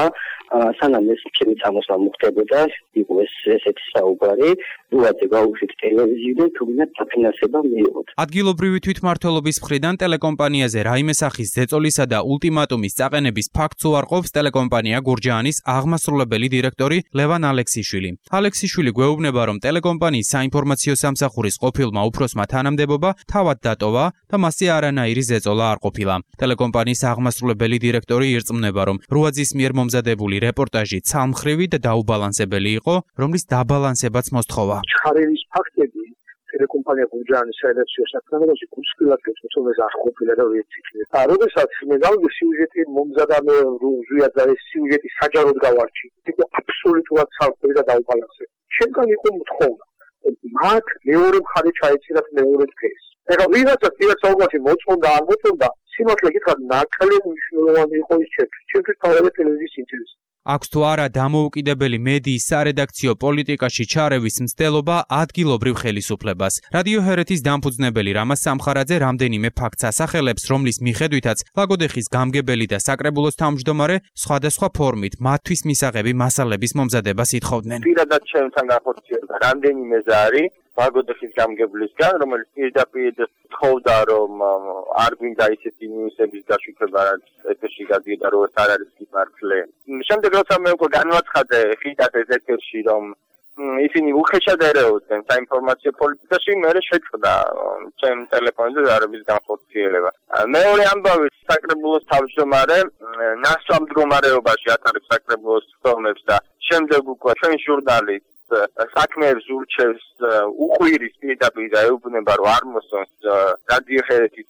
სანამ ეს ჩემი წამოსვლა მოხდებოდა, იყო ესეთი საუბარი, როაძე გაუშვით ტელევიზიიდან, თუმცა დაფინანსება მიიღოთ. ადგილობრივი თვითმმართველობის მხრიდან ტელეკომპანიაზე რაიმე სახის ზეწოლისა და ულტიმატუმის წაყენების ფაქტს უარყოფს ტელეკომპანია გურჯაანის აღმასრულებელი დირექტორი ლევან ალექსიშვილი. ალექსიშვილი გვეუბნება, რომ ტელეკომპანიის საინფორმაციო სამსახურის ყოფილმა უფროსმა თანამდებობა თავად დატოვა და მასზე არანაირი ზეწოლა არ ყოფილა. ტელეკომპანიის აღმასრულებელი დირექტორი ირწმუნება, რომ როაძის მიერ მომზადებული რეპორტაჟი ცალმხრივი და დაუბალანსებელი იყო, რომლის დაბალანსებაც მოსთხოვა. ჩხარევის ფაქტები ტელეკომპანია გურჯაანის საერთაშორისო საქმიანობაში გულსხვილად გეცნობეს არ ყოფილა და ვეციქლე. როდესაც მე გავიგე სიუჟეტი მომზადა მე ზუია და ეს სიუჟეტი საჯაროდ გავარჩი. იყო აბსოლუტურად ცალკე და დაუბალანსებული. ჩემგან იყო მოთხოვნა. მათ მეორე მხარე ჩაეცილათ მეორე დღეს. ეხლა ვიღაცა საუბარში მოწონდა არ მოწონდა, სიმართლე გითხრათ, ნაკლები მნიშვნელოვანი იყო ის ჩემთვის თავად ტელევიზიის ინტერესი. აქვს თუ არა დამოუკიდებელი მედიის სარედაქციო პოლიტიკაში ჩარევის მცდელობა ადგილობრივ ხელისუფლებას. რადიო ჰერეთის დამფუძნებელი რამაზ სამხარაძე რამდენიმე ფაქტს ასახელებს, რომლის მიხედვითაც ლაგოდეხის გამგებელი და საკრებულოს თავმჯდომარე სხვადასხვა ფორმით მათთვის მისაღები მასალების მომზადებას ითხოვდნენ. პირადად ჩემთან განხორციელდა რამდენიმე ზარი ლაგოდეხის გამგებლისგან, რომელიც პირდაპირ თხოვდა, რომ არ გვინდა ისეთი ნიუსების გაშუქება, რაც ეთერში გადიოდა, რომ ეს არ არის მართლე. შემდეგ როცა მე უკვე განვაცხადე ხიდად ეს ეთერში, რომ ისინი უხეშად ერეოდნენ საინფორმაციო პოლიტიკაში, მე შეწყდა ჩემ ტელეფონზე ზარების განხორციელება. მეორე ამბავი საკრებულოს თავმჯდომარე ნასვამ მდგომარეობაში ატარებს საკრებულოს ხდომებს და შემდეგ უკვე ჩვენ ჟურნალისტ საქმეებს ურჩევს უყვირის პირდაპირ და ეუბნება, რომ არ მოსწონს რადიო ჰერეთის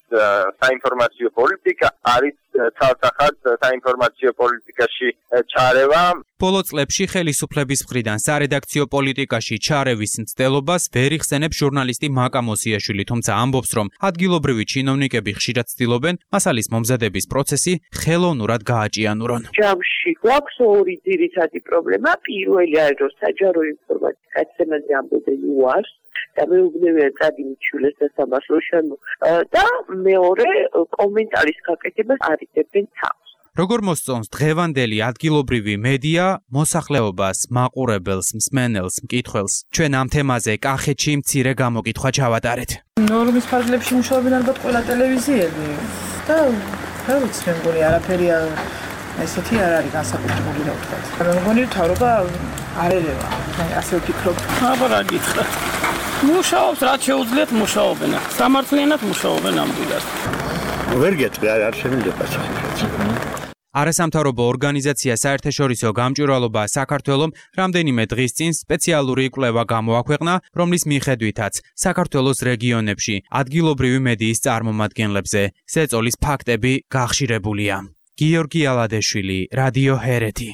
საინფორმაციო პოლიტიკა, არის ცალსახად საინფორმაციო პოლიტიკაში ჩარევა. ბოლო წლებში ხელისუფლების მხრიდან სარედაქციო პოლიტიკაში ჩარევის მცდელობას ვერ იხსენებს ჟურნალისტი მაკა მოსიაშვილი, თუმცა ამბობს, რომ ადგილობრივი ჩინოვნიკები ხშირად ცდილობენ მასალის მომზადების პროცესი ხელოვნურად გააჭიანურონ. ჯამში გვაქვს ორი ძირითადი პრობლემა. პირველი არის, რომ საჯარო ინფორმაციის გაცემაზე ამბობენ უარს და მეუბნებიან წადინჩულეს და სამართლოშან და მეორე კომენტარის გაკეთებას არიდებენ თავს. როგორ მოსწონს დღევანდელი ადგილობრივი მედია მოსახლეობას, მაყურებელს, მსმენელს, მკითხველს? ჩვენ ამ თემაზე კახეთში მცირე გამოკითხვა ჩავატარეთ. ნორმის ფარგლებში მუშაობენ ალბათ ყველა ტელევიზიები და რა ვიცი, მე მგონი არაფერი ესეთი არ არის განსაკუთრებული, რა ვთქვათ. მე მგონი თავრობა არ ერევა. მე ასე ვფიქრობ. აბა რა გითხრათ. მუშაობს, რაც შეუძლიათ მუშაობენ. სამართლიანად მუშაობენ ნამდვილად. ვერ გეტყვი, არ შეიძლება საერთოდ. არასამთავრობო ორგანიზაცია საერთაშორისო გამჭვირვალობა საქართველომ რამდენიმე დღის წინ სპეციალური კვლევა გამოაქვეყნა, რომლის მიხედვითაც საქართველოს რეგიონებში ადგილობრივი მედიის წარმომადგენლებზე ზეწოლის ფაქტები გახშირებულია. გიორგი ალადეშვილი, რადიო ჰერეთი.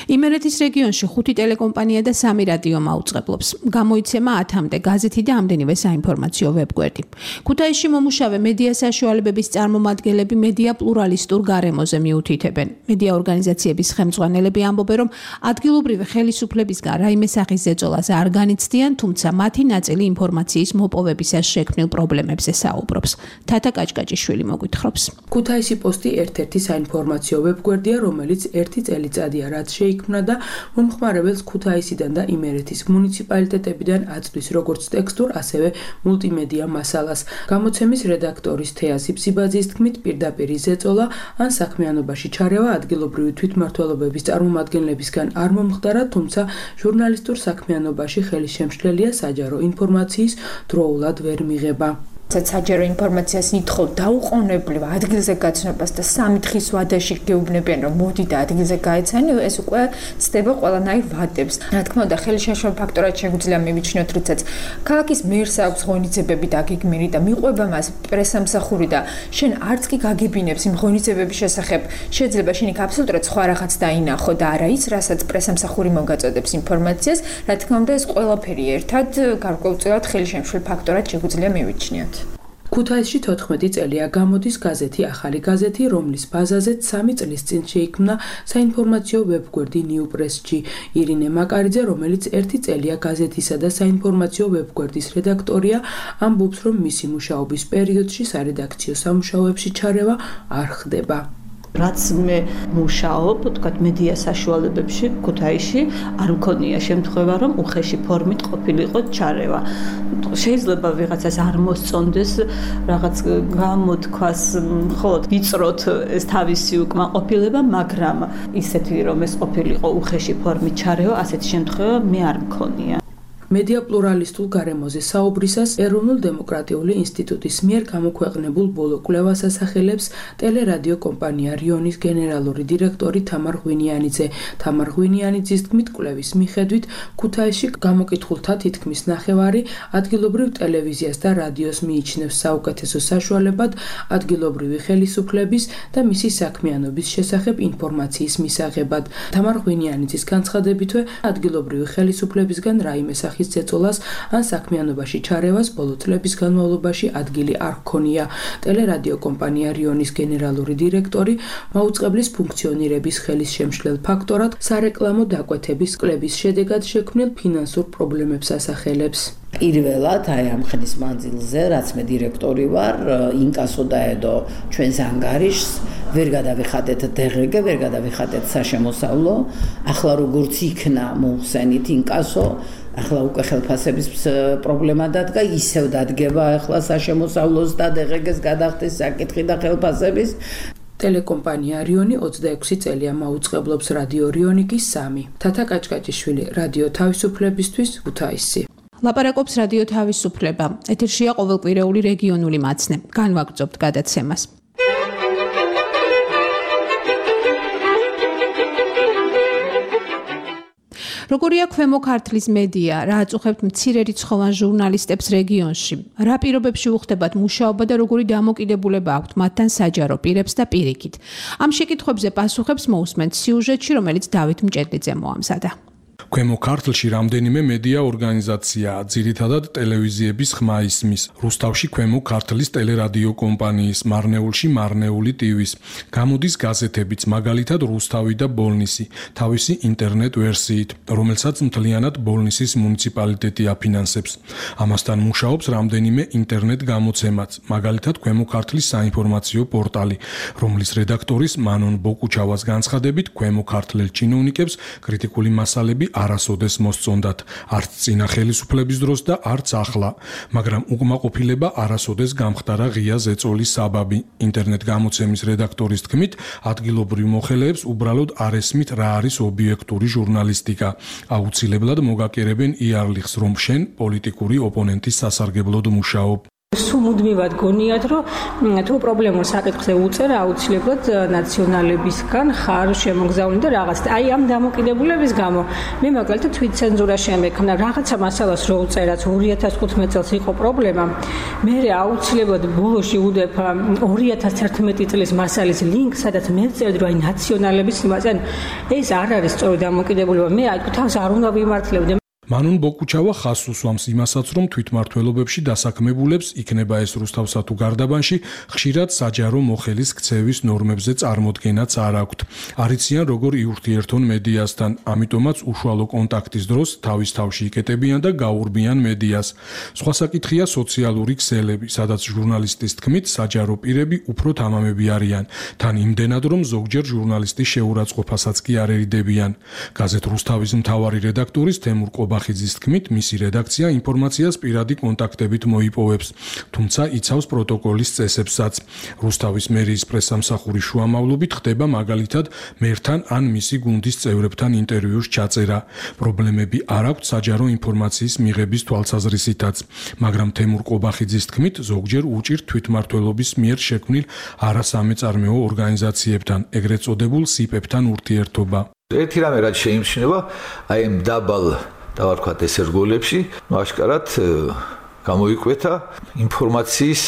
იმერეთის რეგიონში 5 ტელეკომპანია და 3 რადიო მაუწყებლობს. გამოიცემა 10-მდე გაზეთი და ამდენივე საინფორმაციო ვებგვერდი. ქუთაისში მომუშავე მედია საშუალებების წარმომადგენლები მედია პლურალისტურ გარემოზე მიუთითებენ. მედია ორგანიზაციების ხელმძღვანელები ამბობენ, რომ ადგილობრივი ხელისუფლებისგან რაიმე სახის ზეწოლას არ განიცდიან, თუმცა მათი ნაწილი ინფორმაციის მოპოვებისას შექმნილ პრობლემებზე საუბრობს. თათა კაჭკაჭიშვილი მოგვითხრობს. ქუთაისი პოსტი ერთ-ერთი საინფორმაციო ვებგვერდია, რომელიც 1 წელიწადია რაც შეიქმნა და მომხმარებელს ქუთაისიდან და იმერეთის მუნიციპალიტეტებიდან აწვდის როგორც ტექსტურ, ასევე მულტიმედია მასალას. გამოცემის რედაქტორის თეა სიბსიბაძის თქმით, პირდაპირ ზეწოლა ან საქმიანობაში ჩარევა ადგილობრივი თვითმმართველობების წარმომადგენლებისგან არ მომხდარა, თუმცა ჟურნალისტურ საქმიანობაში ხელისშემშლელია საჯარო ინფორმაციის დროულად ვერ მიღება. საჯარო ინფორმაციას ნითხოვ დაუყოვნებლივ ადგილზე გაცნობას და 3 დღის ვადაში გეუბნებიან, რომ მოდი და ადგილზე გაეცანი, ეს უკვე ცდება ყველანაირ ვადებს. რა თქმა უნდა, ხელისშემშლელ ფაქტორად შეგვიძლია მივიჩნიოთ, როდესაც ქალაქის მერს აქვს ღონისძიებები დაგეგმილი და მიყვება მას პრესამსახური და შენ არც კი გაგებინებს იმ ღონისძიებების შესახებ, შეიძლება შენ იქ აბსოლუტურად სხვა რაღაც დაინახო და არა ის, რასაც პრესამსახური მოგაწოდებს ინფორმაციას. რა თქმა უნდა, ეს ყველაფერი ერთად გარკვეულწილად ხელისშემშლელ ფაქტორად შეგვიძლია მივიჩნიოთ. ქუთაისში 14 წელია გამოდის გაზეთი ახალი გაზეთი, რომლის ბაზაზეც 3 წლის წინ შეიქმნა საინფორმაციო ვებგვერდი ნიუპრესში. ირინე მაკარიძე, რომელიც 1 წელია გაზეთისა და საინფორმაციო ვებგვერდის რედაქტორია, ამბობს, რომ მისი მუშაობის პერიოდში სარედაქციო სამუშაოებში ჩარევა არ ხდება. რაც მე მუშაობ, თქვათ მედია საშუალებებში ქუთაისში არ მქონია შემთხვევა, რომ უხეში ფორმით ყოფილიყო ჩარევა. შეიძლება ვიღაცას არ მოსწონდეს რაღაც გამოთქვას, მხოლოდ ვიწროთ ეს თავისი უკმაყოფილება, მაგრამ ისეთი რომ ეს ყოფილიყო უხეში ფორმით ჩარევა, ასეთი შემთხვევა მე არ მქონია. მედია პლურალისტულ გარემოზე საუბრისას ეროვნულ-დემოკრატიული ინსტიტუტის მიერ გამოქვეყნებულ ბოლო კვლევას ასახელებს ტელერადიო კომპანია რიონის გენერალური დირექტორი თამარ ღვინიანიძე. თამარ ღვინიანიძის თქმით, კვლევის მიხედვით ქუთაისში გამოკითხულთა თითქმის ნახევარი ადგილობრივ ტელევიზიას და რადიოს მიიჩნევს საუკეთესო საშუალებად ადგილობრივი ხელისუფლების და მისი საქმიანობის შესახებ ინფორმაციის მისაღებად. თამარ ღვინიანიძის განცხადებითვე ადგილობრივი ხელისუფლებისგან რაიმე ოჯახის ზეწოლას ან საქმიანობაში ჩარევას ბოლო წლების განმავლობაში ადგილი არ ჰქონია. ტელერადიო კომპანია რიონის გენერალური დირექტორი მაუწყებლის ფუნქციონირების ხელის შემშლელ ფაქტორად სარეკლამო დაკვეთების კლების შედეგად შექმნილ ფინანსურ პრობლემებს ასახელებს. პირველად აი ამ ხნის მანძილზე, რაც მე დირექტორი ვარ, ინკასო დაედო ჩვენს ანგარიშს, ვერ გადავიხადეთ დღგ, ვერ გადავიხადეთ საშემოსავლო. ახლა როგორც იქნა მოხსენით ინკასო, ახლა უკვე ხელფასების პრობლემა დადგა, ისევ დადგება ახლა საშემოსავლოს და დღგ-ს გადახდეს საკითხი და ხელფასების. ტელეკომპანია რიონი 26 წელია მაუწყებლობს რადიო რიონიკის 3. თათა კაჭკაჭიშვილი, რადიო თავისუფლებისთვის, ქუთაისი. ლაპარაკობს რადიო თავისუფლება. ეთერშია ყოველკვირეული რეგიონული მაცნე. განვაგრძობთ გადაცემას. როგორია ქვემო ქართლის მედია, რა აწუხებთ მცირერიცხოვან ჟურნალისტებს რეგიონში? რა პირობებში უხდებათ მუშაობა და როგორი დამოკიდებულება აქვთ მათთან საჯარო პირებს და პირიქით? ამ შეკითხვებზე პასუხებს მოусმენთ სიუჟეტში, რომელიც დავით მჭედლიძე მოამზადა. ქვემო ქართლში რამდენიმე მედია ორგანიზაციაა, ძირითადად ტელევიზიების ხმა ისმის. რუსთავში ქვემო ქართლის ტელერადიო კომპანიის, მარნეულში მარნეული ტივის. გამოდის გაზეთებიც, მაგალითად რუსთავი და ბოლნისი, თავისი ინტერნეტ ვერსიით, რომელსაც მთლიანად ბოლნისის მუნიციპალიტეტი აფინანსებს. ამასთან მუშაობს რამდენიმე ინტერნეტ გამოცემაც, მაგალითად ქვემო ქართლის საინფორმაციო პორტალი, რომლის რედაქტორის მანონ ბოკუჩავას განცხადებით, ქვემო ქართლელ ჩინოვნიკებს კრიტიკული მასალები არასოდეს მოსწონდათ, არც წინა ხელისუფლების დროს და არც ახლა, მაგრამ უკმაყოფილება არასოდეს გამხდარა ღია ზეწოლის საბაბი. ინტერნეტ გამოცემის რედაქტორის თქმით, ადგილობრივ მოხელეებს უბრალოდ არ ესმით რა არის ობიექტური ჟურნალისტიკა. აუცილებლად მოგაკერებენ იარლიხს, რომ შენ პოლიტიკური ოპონენტის სასარგებლოდ მუშაობ. სუმუდმივად გონიათ, რომ თუ პრობლემურ საკითხზე უწერ, აუცილებლად ნაციონალებისგან ხარ შემოგზავნილი და რაღაც. აი ამ დამოკიდებულების გამო მე მაგალითად თვითცენზურა შემექმნა. რაღაცა მასალას რო უწერაც 2015 წელს იყო პრობლემა. მე აუცილებლად ბოლოში უდებ 2011 წლის მასალის ლინკს, სადაც მე წერდი, რომ აი ნაციონალების იმაზე, ეს არ არის სწორი დამოკიდებულება. მე აი თავს არ უნდა ვიმართლებდე. მანონ ბოკუჩავა ხაზს უსვამს იმასაც, რომ თვითმმართველობებში დასაქმებულებს, იქნება ეს რუსთავსა თუ გარდაბანში, ხშირად საჯარო მოხელის ქცევის ნორმებზე წარმოდგენაც არ აქვთ. არიციან როგორ იურთიერთონ მედიასთან, ამიტომაც უშუალო კონტაქტის დროს თავის თავში იკეტებიან და გაურბიან მედიას. სხვა საკითხია სოციალური ქსელები, სადაც ჟურნალისტის თქმით, საჯარო პირები უფრო თამამები არიან, თან იმდენად, რომ ზოგჯერ ჟურნალისტის შეურაცხყოფასაც კი არ ერიდებიან. გაზეთ რუსთავის მთავარი რედაქტორის თემურ ბახიძის თქმით, მისი რედაქცია ინფორმაციას პირადი კონტაქტებით მოიპოვებს, თუმცა იცავს პროტოკოლის წესებსაც. რუსთავის მერიის პრესამსახურის შუამავლობით ხდება მაგალითად მერთან ან მისი გუნდის წევრებთან ინტერვიუს ჩაწერა. პრობლემები არ აქვთ საჯარო ინფორმაციის მიღების თვალსაზრისითაც, მაგრამ თემურ ყობახიძის თქმით, ზოგჯერ უჭირთ თვითმმართველობის მიერ შექმნილ არასამეწარმეო ორგანიზაციებთან, ეგრეთ წოდებულ სიპებთან ურთიერთობა. ერთი რამე რაც შეიმჩნევა, აი ამ დაბალ და ვთქვათ ეს რგოლებში, აშკარად გამოიკვეთა ინფორმაციის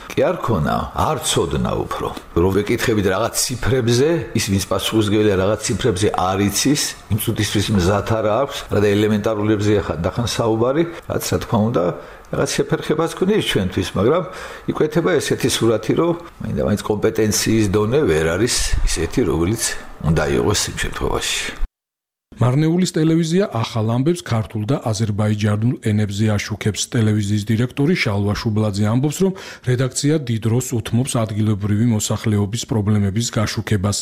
კი არ ქონა, არ ცოდნა უფრო. რომ ვეკითხებით რაღაც ციფრებზე, ის ვინც პასუხისმგებელია რაღაც ციფრებზე არ იცის, იმ წუთისთვის მზად არ აქვს, რა და ელემენტარულებზეა ხან საუბარი, რაც რა თქმა უნდა რაღაც შეფერხებას ქონია ჩვენთვის, მაგრამ იკვეთება ესეთი სურათი, რომ მაინც კომპეტენციის დონე ვერ არის ისეთი, რომელიც უნდა იყოს იმ შემთხვევაში. მარნეულის ტელევიზია ახალ ამბებს ქართულ და აზერბაიჯანულ ენებზე აშუქებს. ტელევიზიის დირექტორი შალვა შუბლაძე ამბობს, რომ რედაქცია დიდ დროს უთმობს ადგილობრივი მოსახლეობის პრობლემების გაშუქებას.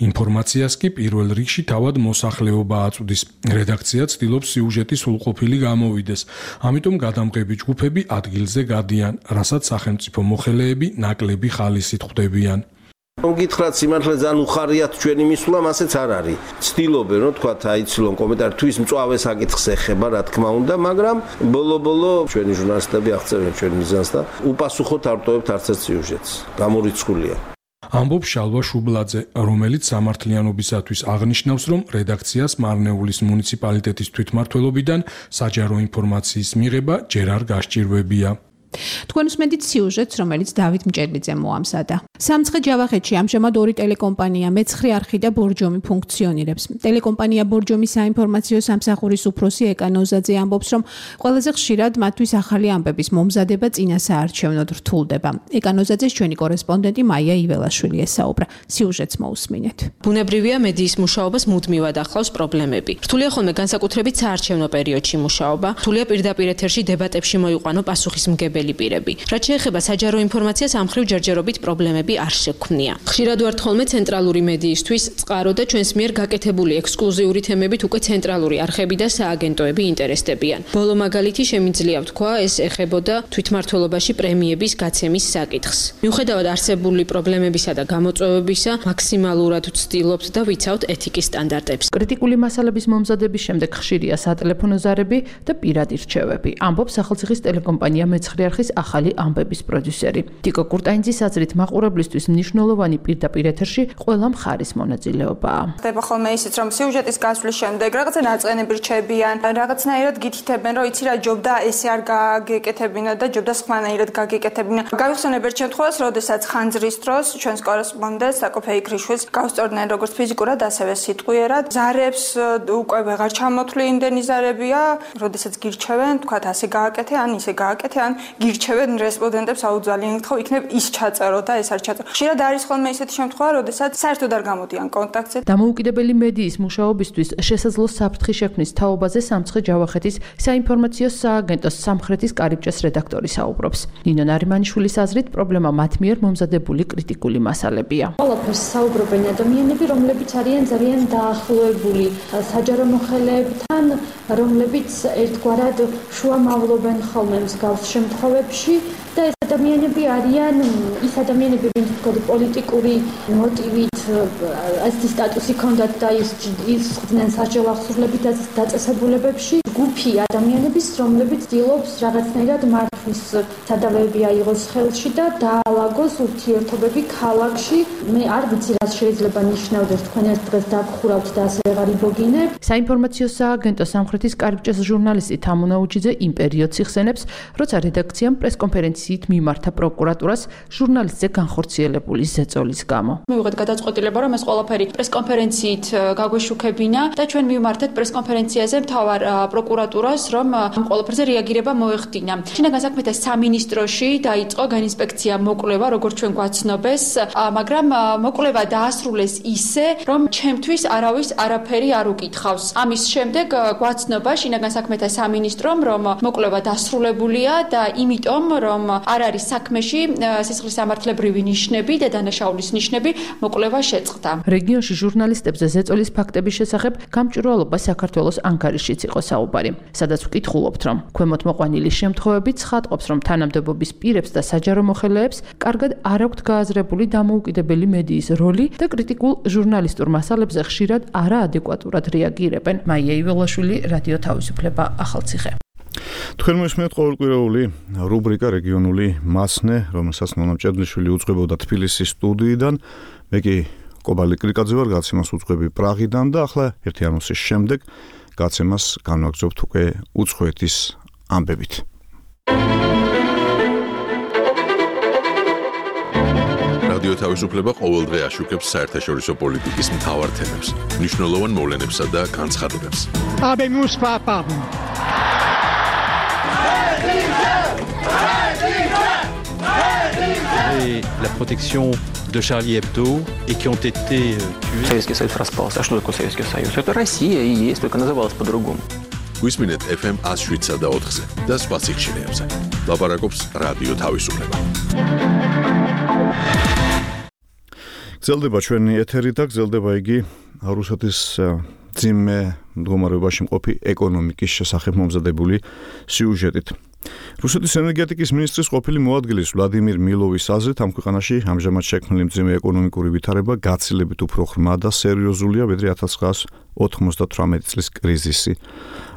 ინფორმაციას კი პირველ რიგში თავად მოსახლეობა აწვდის. რედაქცია ცდილობს სიუჟეტი სრულყოფილი გამოვიდეს. ამიტომ გადამღები ჯგუფები ადგილზე გადიან, რასაც სახელმწიფო მოხელეები ნაკლები ხალისით ხვდებიან. გითხრათ სიმართლე ძალიან უხარიათ ჩვენი მისვლა, მასეც არ არის. ცდილობენ, რომ თქვა აიცილონ კომენტარი თუ ის მწვავე საკითხს ეხება, რა თქმა უნდა, მაგრამ ბოლო-ბოლო ჩვენი ჟურნალისტები აღწერენ ჩვენ მიზანს და უპასუხოდ არ ტოვებთ არც ერთ სიუჟეტს. გამორიცხულია. ამბობს შალვა შუბლაძე, რომელიც სამართლიანობისათვის აღნიშნავს, რომ რედაქციას მარნეულის მუნიციპალიტეტის თვითმმართველობიდან საჯარო ინფორმაციის მიღება ჯერ არ გასჭირვებია. თქვენ უსმენთ სიუჟეტს, რომელიც დავით მჭედლიძემ მოამზადა. სამცხე ჯავახეთში ამჟამად ორი ტელეკომპანია, მეცხრე არხი და ბორჯომი ფუნქციონირებს. ტელეკომპანია ბორჯომის საინფორმაციო სამსახურის უფროსი ეკა ნოზაძე ამბობს, რომ ყველაზე ხშირად მათთვის ახალი ამბების მომზადება წინასაარჩევნოდ რთულდება. ეკა ნოზაძეს ჩვენი კორესპონდენტი მაია იველაშვილი ესაუბრა. სიუჟეტს მოусმინეთ. ბუნებრივია მედიის მუშაობას მუდმივად ახლავს პრობლემები. რთულია ხოლმე განსაკუთრებით საარჩევნო პერიოდში მუშაობა, რთულია პირდაპირ ეთერში დებატებში მოიყვანო პასუხისმგებელი პირები. რაც შეეხება საჯარო ინფორმაციას, ამ მხრივ ჯერჯერობით პრობლემები არ შექმნია. ხშირად ვართ ხოლმე ცენტრალური მედიისთვის წყარო და ჩვენს მიერ გაკეთებული ექსკლუზიური თემებით უკვე ცენტრალური არხები და სააგენტოები ინტერესდებიან. ბოლო მაგალითი შემიძლია ვთქვა, ეს ეხებოდა თვითმმართველობაში პრემიების გაცემის საკითხს. მიუხედავად არსებული პრობლემებისა და გამოწვევებისა, მაქსიმალურად ვცდილობთ და ვიცავთ ეთიკის სტანდარტებს. კრიტიკული მასალების მომზადების შემდეგ ხშირია სატელეფონო ზარები და პირადი რჩევები. ამბობს სახელმწიფოს ტელეკომპანია მეცხრე არხის ახალი ამბების პროდიუსერი. ტიკო კურტაინძის აზრით მაყურებლისთვის მნიშვნელოვანი პირდაპირ ეთერში ყველა მხარის მონაწილეობაა. ხდება ხოლმე ისიც, რომ სიუჟეტის გასვლის შემდეგ რაღაცა ნაწყენები რჩებიან, რაღაცნაირად გითითებენ, რომ იცი რა ჯობდა ესე არ გაგეკეთებინა და ჯობდა სხვანაირად გაგეკეთებინა. გავიხსენებ ერთ შემთხვევას, როდესაც ხანძრის დროს ჩვენს კორესპონდენტს საკოფეი ქრიშვილს გავსწორდნენ როგორც ფიზიკურად, ასევე სიტყვიერად. ზარებს უკვე ვეღარ ჩამოთვლი იმდენი ზარებია, როდესაც გირჩევენ, თქვათ ასე გააკეთე, ან ისე გააკეთე, ან გირჩევენ რესპონდენტებს აუძალიან ითხოვ, იქნებ ის ჩაწერო და ეს არ ჩაწერო. ხშირად არის ხოლმე ისეთი შემთხვევა, როდესაც საერთოდ არ გამოდიან კონტაქტზე. დამოუკიდებელი მედიის მუშაობისთვის შესაძლო საფრთხის შექმნის თაობაზე სამცხე ჯავახეთის საინფორმაციო სააგენტოს სამხრეთის კარიბჭეს რედაქტორი საუბრობს. ნინო ნარიმანიშვილის აზრით, პრობლემა მათ მიერ მომზადებული კრიტიკული მასალებია. ყველაფერს საუბრობენ ადამიანები, რომლებიც არიან ძალიან დაახლოებული საჯარო მოხელეებთან, რომლებიც ერთგვარად შუამავლობენ ხოლმე მსგავს შემთხვევებში და ეს ადამიანები არიან ის ადამიანები, ვინც თქო პოლიტიკური მოტივით ასეთი სტატუსი ჰქონდათ და ის ხდნენ სასჯელ ახსოვლებით დაწესებულებებში, ჯგუფი ადამიანების, რომლებიც ცდილობს რაღაცნაირად მართვის სადავეები აიღოს ხელში და დაალაგოს ურთიერთობები ქალაქში. მე არ ვიცი, რა შეიძლება ნიშნავდეს, თქვენ ერთ დღეს დაგხურავთ და ასე ვეღარ იბოგინებ. საინფორმაციო სააგენტოს სამხრეთის კარიბჭეს ჟურნალისტი თამუნაუჩიძე იმ პერიოდს იხსენებს, როცა რედაქციამ პრესკონფერენციით მიმართა პროკურატურას ჟურნალისტზე განხორციელებული ზეწოლის გამო. მივიღეთ გადაწყვეტილება, რომ ეს ყველაფერი პრესკონფერენციით გაგვეშუქებინა და ჩვენ მივმართეთ პრესკონფერენციაზე მთავარ პროკურატურას, რომ ამ ყველაფერზე რეაგირება მოეხდინა. შინაგან საქმეთა სამინისტროში დაიწყო განინსპექცია მოკვლევა, როგორც ჩვენ გვაცნობეს, მაგრამ მოკვლევა დაასრულეს ისე, რომ ჩემთვის არავის არაფერი არ უკითხავს. ამის შემდეგ გვაცნობა შინაგან საქმეთა სამინისტრომ, რომ მოკვლევა დასრულებულია და იმიტომ, რომ არ არის საქმეში სისხლისამართლებრივი ნიშნები და დანაშაულის ნიშნები, მოკვლევა შეწყდა. რეგიონში ჟურნალისტებზე ზეწოლის ფაქტების შესახებ გამჭვირვალობა საქართველოს ანკარიშიც იყო საუბარი, სადაც ვკითხულობთ, რომ ქვემოთ მოყვანილი შემთხვევები ცხადყოფს, რომ თანამდებობის პირებს და საჯარო მოხელეებს კარგად არ აქვთ გააზრებული დამოუკიდებელი მედიის როლი და კრიტიკულ ჟურნალისტურ მასალებზე ხშირად არაადეკვატურად რეაგირებენ. მაია იველაშვილი, რადიო თავისუფლება, ახალციხე. თქვენ მოსმენთ ყოველკვირეული რუბრიკა რეგიონული მასნე, რომელსაც ნონა მჭედლიშვილი უძღვებოდა თბილისის სტუდიიდან. მე კი კობალიკ კრიკაძე ვარ, გაცემას უძღვები პრაღიდან და ახლა ერთი ანონსის შემდეგ გაცემას განვაგრძობთ უკვე უცხოეთის ამბებით. რადიო თავისუფლება ყოველდღე აშუქებს საერთაშორისო პოლიტიკის მთავარ თემებს, მნიშვნელოვან მოვლენებსა და განცხადებებს. Habemos papam. Et la protection de Charlie Hebdo et qui ont été tués. Советский Союз распался. А что такое Советский Союз? Это Россия и есть, только называлась по-другому. გვისმინეთ FM 107 და 4-ზე და სხვა სიხშირეებზე. ლაპარაკობს რადიო თავისუფლება. გრძელდება ჩვენი ეთერი და გრძელდება იგი რუსეთის ძიმე მდგომარეობაში მყოფი ეკონომიკის შესახებ მომზადებული სიუჟეტით. რუსეთის ენერგეტიკის მინისტრის ყოფილი მოადგილის ვლადიმირ მილოვის აზრით, ამ ქვეყანაში ამჟამად შექმნილი მძიმე ეკონომიკური ვითარება გაცილებით უფრო ღრმა და სერიოზულია, ვიდრე 1998 წლის კრიზისი.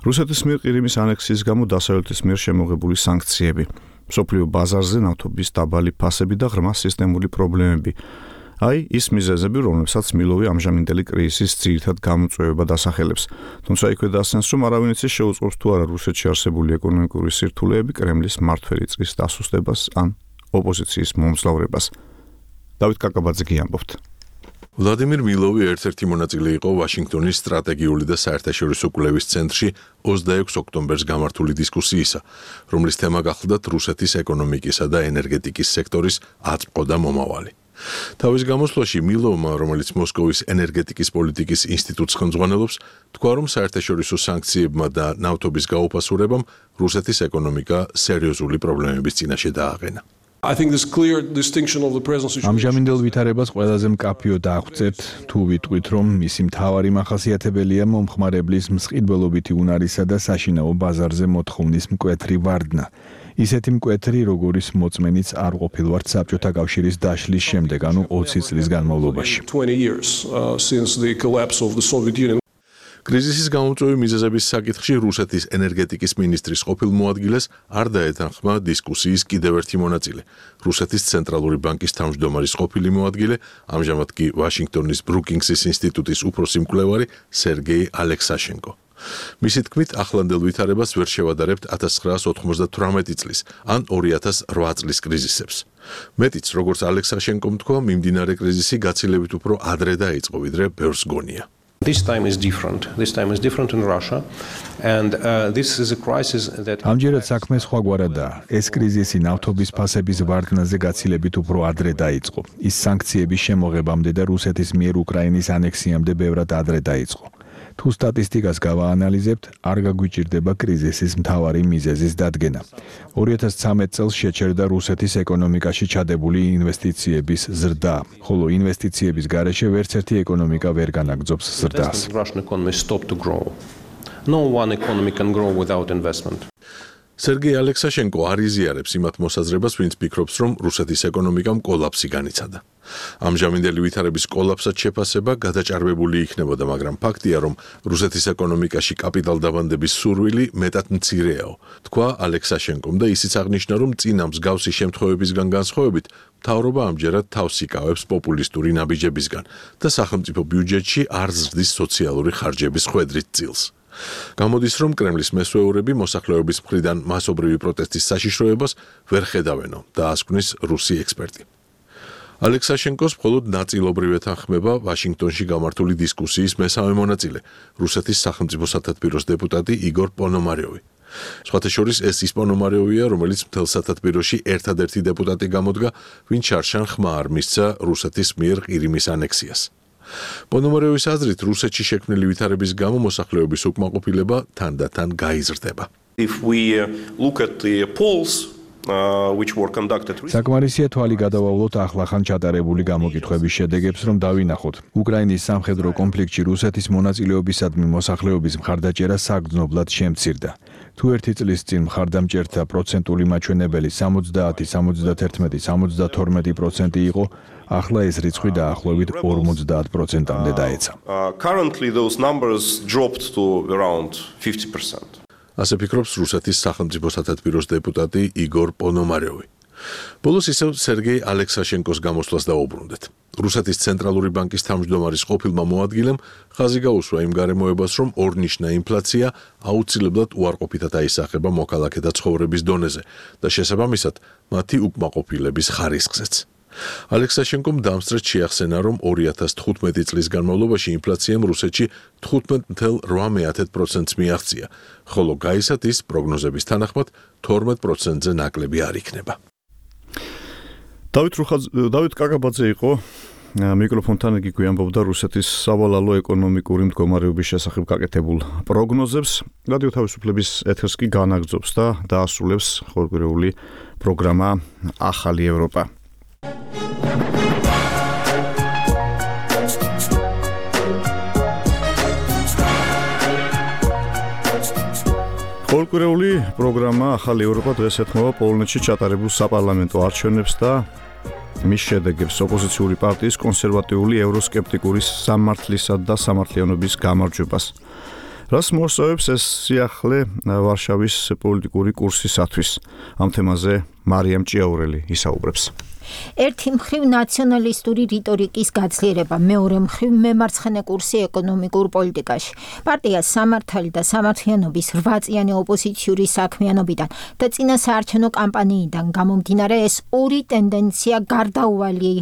რუსეთის მიერ ყირიმის ანექსიის გამო დასავლეთის მიერ შემოღებული სანქციები, მსოფლიო ბაზარზე ნავთობის დაბალი ფასები და ღრმა სისტემური პრობლემები. აი ის მიზეზები, რომლებსაც მილოვი ამჟამინდელი კრიზისის ძირითად გამოწვევება დასახელებს. თუმცა იქვე დასცენს, რომ არავინ იცის შეუწყობს თუ არა რუსეთში არსებული ეკონომიკური სირთულეები კრემლის მმართველი წყის დასუსტებას ან ოპოზიციის მომძლავრებას. დავით კაკაბაძე გიამბობთ. ვლადიმირ მილოვი ერთ-ერთი მონაწილე იყო ვაშინგტონის სტრატეგიული და საერთაშორისო კვლევის ცენტრში 26 ოქტომბერს გამართული დისკუსიისა, რომლის თემა გახლდათ რუსეთის ეკონომიკისა და ენერგეტიკის სექტორის აწმყო და მომავალი. თავის გამოსვლაში მილოვმა, რომელიც მოსკოვის ენერგეტიკის პოლიტიკის ინსტიტუტს ხელმძღვანელობს, თქვა, რომ საერთაშორისო სანქციებმა და ნავთობის გაუფასურებამ რუსეთის ეკონომიკა სერიოზული პრობლემების წინაშე დააყენა. ამჟამინდელ ვითარებას ყველაზე მკაფიო დაახვწებთ, თუ ვიტყვით, რომ მისი მთავარი მახასიათებელია მომხმარებლის მსყიდველობითი უნარისა და საშინაო ბაზარზე მოთხოვნის მკვეთრი ვარდნა. ისეთი მკვეთრი, როგორის მოწმენიც არ ყოფილვართ საბჭოთა კავშირის დაშლის შემდეგ, ანუ 20 წლის განმავლობაში. კრიზისის გამოწვევი მიზეზების საკითხში რუსეთის ენერგეტიკის მინისტრის ყოფილ მოადგილეს არ დაეთანხმა დისკუსიის კიდევ ერთი მონაწილე, რუსეთის ცენტრალური ბანკის თავმჯდომარის ყოფილი მოადგილე, ამჟამად კი ვაშინგტონის ბრუკინგსის ინსტიტუტის უფროსი მკვლევარი სერგეი ალექსაშენკო. მისი თქმით, ახლანდელ ვითარებას ვერ შევადარებთ 1998 წლის ან 2008 წლის კრიზისებს. მეტიც, როგორც ალექსაშენკომ თქვა, მიმდინარე კრიზისი გაცილებით უფრო ადრე დაიწყო, ვიდრე ბევრს გონია. This time is different. This time is different in Russia, and this is a crisis that. ამჯერად საქმე სხვაგვარადაა. ეს კრიზისი ნავთობის ფასების ვარდნაზე გაცილებით უფრო ადრე დაიწყო. ის სანქციების შემოღებამდე და რუსეთის მიერ უკრაინის ანექსიამდე ბევრად ადრე დაიწყო. თუ სტატისტიკას გავაანალიზებთ, არ გაგვიჭირდება კრიზისის მთავარი მიზეზის დადგენა. 2013 წელს შეჩერდა რუსეთის ეკონომიკაში ჩადებული ინვესტიციების ზრდა, ხოლო ინვესტიციების გარეშე ვერც ერთი ეკონომიკა ვერ განაგრძობს ზრდას. No one economy can grow without investment. სერგეი ალექსაშენკო არ იზიარებს იმათ მოსაზრებას, ვინც ფიქრობს, რომ რუსეთის ეკონომიკამ კოლაფსი განიცადა. ამჟამინდელი ვითარების კოლაფსად შეფასება გადაჭარბებული იქნებოდა, მაგრამ ფაქტია, რომ რუსეთის ეკონომიკაში კაპიტალდაბანდების სურვილი მეტად მცირეაო, თქვა ალექსაშენკომ და ისიც აღნიშნა, რომ წინა მსგავსი შემთხვევებისგან განსხვავებით, მთავრობა ამჯერად თავს იკავებს პოპულისტური ნაბიჯებისგან და სახელმწიფო ბიუჯეტში არ ზრდის სოციალური ხარჯების ხვედრით წილს. გამოდის, რომ კრემლის მესვეურები მოსახლეობის მხრიდან მასობრივი პროტესტის საშიშროებას ვერ ხედავენო, დაასკვნის რუსი ექსპერტი. ალექსაშენკოს მხოლოდ ნაწილობრივ ეთანხმება ვაშინგტონში გამართული დისკუსიის მესამე მონაწილე, რუსეთის სახელმწიფო სათათბიროს დეპუტატი იგორ პონომარიოვი. სხვათა შორის ეს ის პონომარიოვია, რომელიც მთელ სათათბიროში ერთადერთი დეპუტატი გამოდგა, ვინც შარშან ხმა არ მისცა რუსეთის მიერ ყირიმის ანექსიას. პონომარიოვის აზრით, რუსეთში შექმნილი ვითარების გამო მოსახლეობის უკმაყოფილება თანდათან გაიზრდება. If we look at the polls which were conducted საკმარისია თვალი გადავავლოთ ახლახან ჩატარებული გამოკითხვების შედეგებს, რომ დავინახოთ. უკრაინის სამხედრო კონფლიქტში რუსეთის მონაწილეობისადმი მოსახლეობის მხარდაჭერა საგრძნობლად შემცირდა. თუ ერთი წლის წინ მხარდამჭერთა პროცენტული მაჩვენებელი 70, 71, 72% იყო, ახლა ეს რიცხვი დაახლოებით 50%-მდე დაეცა. Currently those numbers dropped to around 50%. ასე ფიქრობს რუსეთის სახელმწიფო სათათბიროს დეპუტატი იგორ პონომარიოვი. ბოლოს ისევ სერგეი ალექსაშენკოს გამოსვლას დაუბრუნდეთ. რუსეთის ცენტრალური ბანკის თავმჯდომარის ყოფილმა მოადგილემ ხაზი გაუსვა იმ გარემოებას, რომ ორნიშნა ინფლაცია აუცილებლად უარყოფითად აისახება მოქალაქეთა ცხოვრების დონეზე და შესაბამისად მათი უკმაყოფილების ხარისხზეც. ალექსაშენკომ დამსწრეთ შეახსენა, რომ 2015 წლის განმავლობაში ინფლაციამ რუსეთში 15.8%-ს მიაღწია, ხოლო გაისად ის პროგნოზების თანახმად 12%-ზე ნაკლები არ იქნება. დავით კაკაბაძე იყო მიკროფონთან იგი გვიამბობდა რუსეთის სავალალო ეკონომიკური მდგომარეობის შესახებ გაკეთებულ პროგნოზებს. რადიო თავისუფლების ეთერს კი განაგრძობს და დაასრულებს ხორგვირეული პროგრამა ახალი ევროპა. ხორგვირეული პროგრამა ახალი ევროპა დღეს ეთმობა პოლონეთში ჩატარებულ საპარლამენტო არჩევნებს და მის შედეგებს ოპოზიციური პარტიის კონსერვატიული ევროსკეპტიკური სამართლისა და სამართლიანობის გამარჯვებას. რას მოსწავებს ეს სიახლე ვარშავის პოლიტიკური კურსისათვის? ამ თემაზე მარიამ ჭიაურელი ისაუბრებს. ერთი მხრივ ნაციონალისტური რიტორიკის გაძლიერება, მეორე მხრივ მემარცხენე კურსი ეკონომიკურ პოლიტიკაში. პარტია სამართალი და სამართლიანობის 8-წლიანი ოპოზიციური საქმიანობიდან და წინა საარჩევნო კამპანიიდან გამომდინარე ეს ორი ტენდენცია გარდაუვალი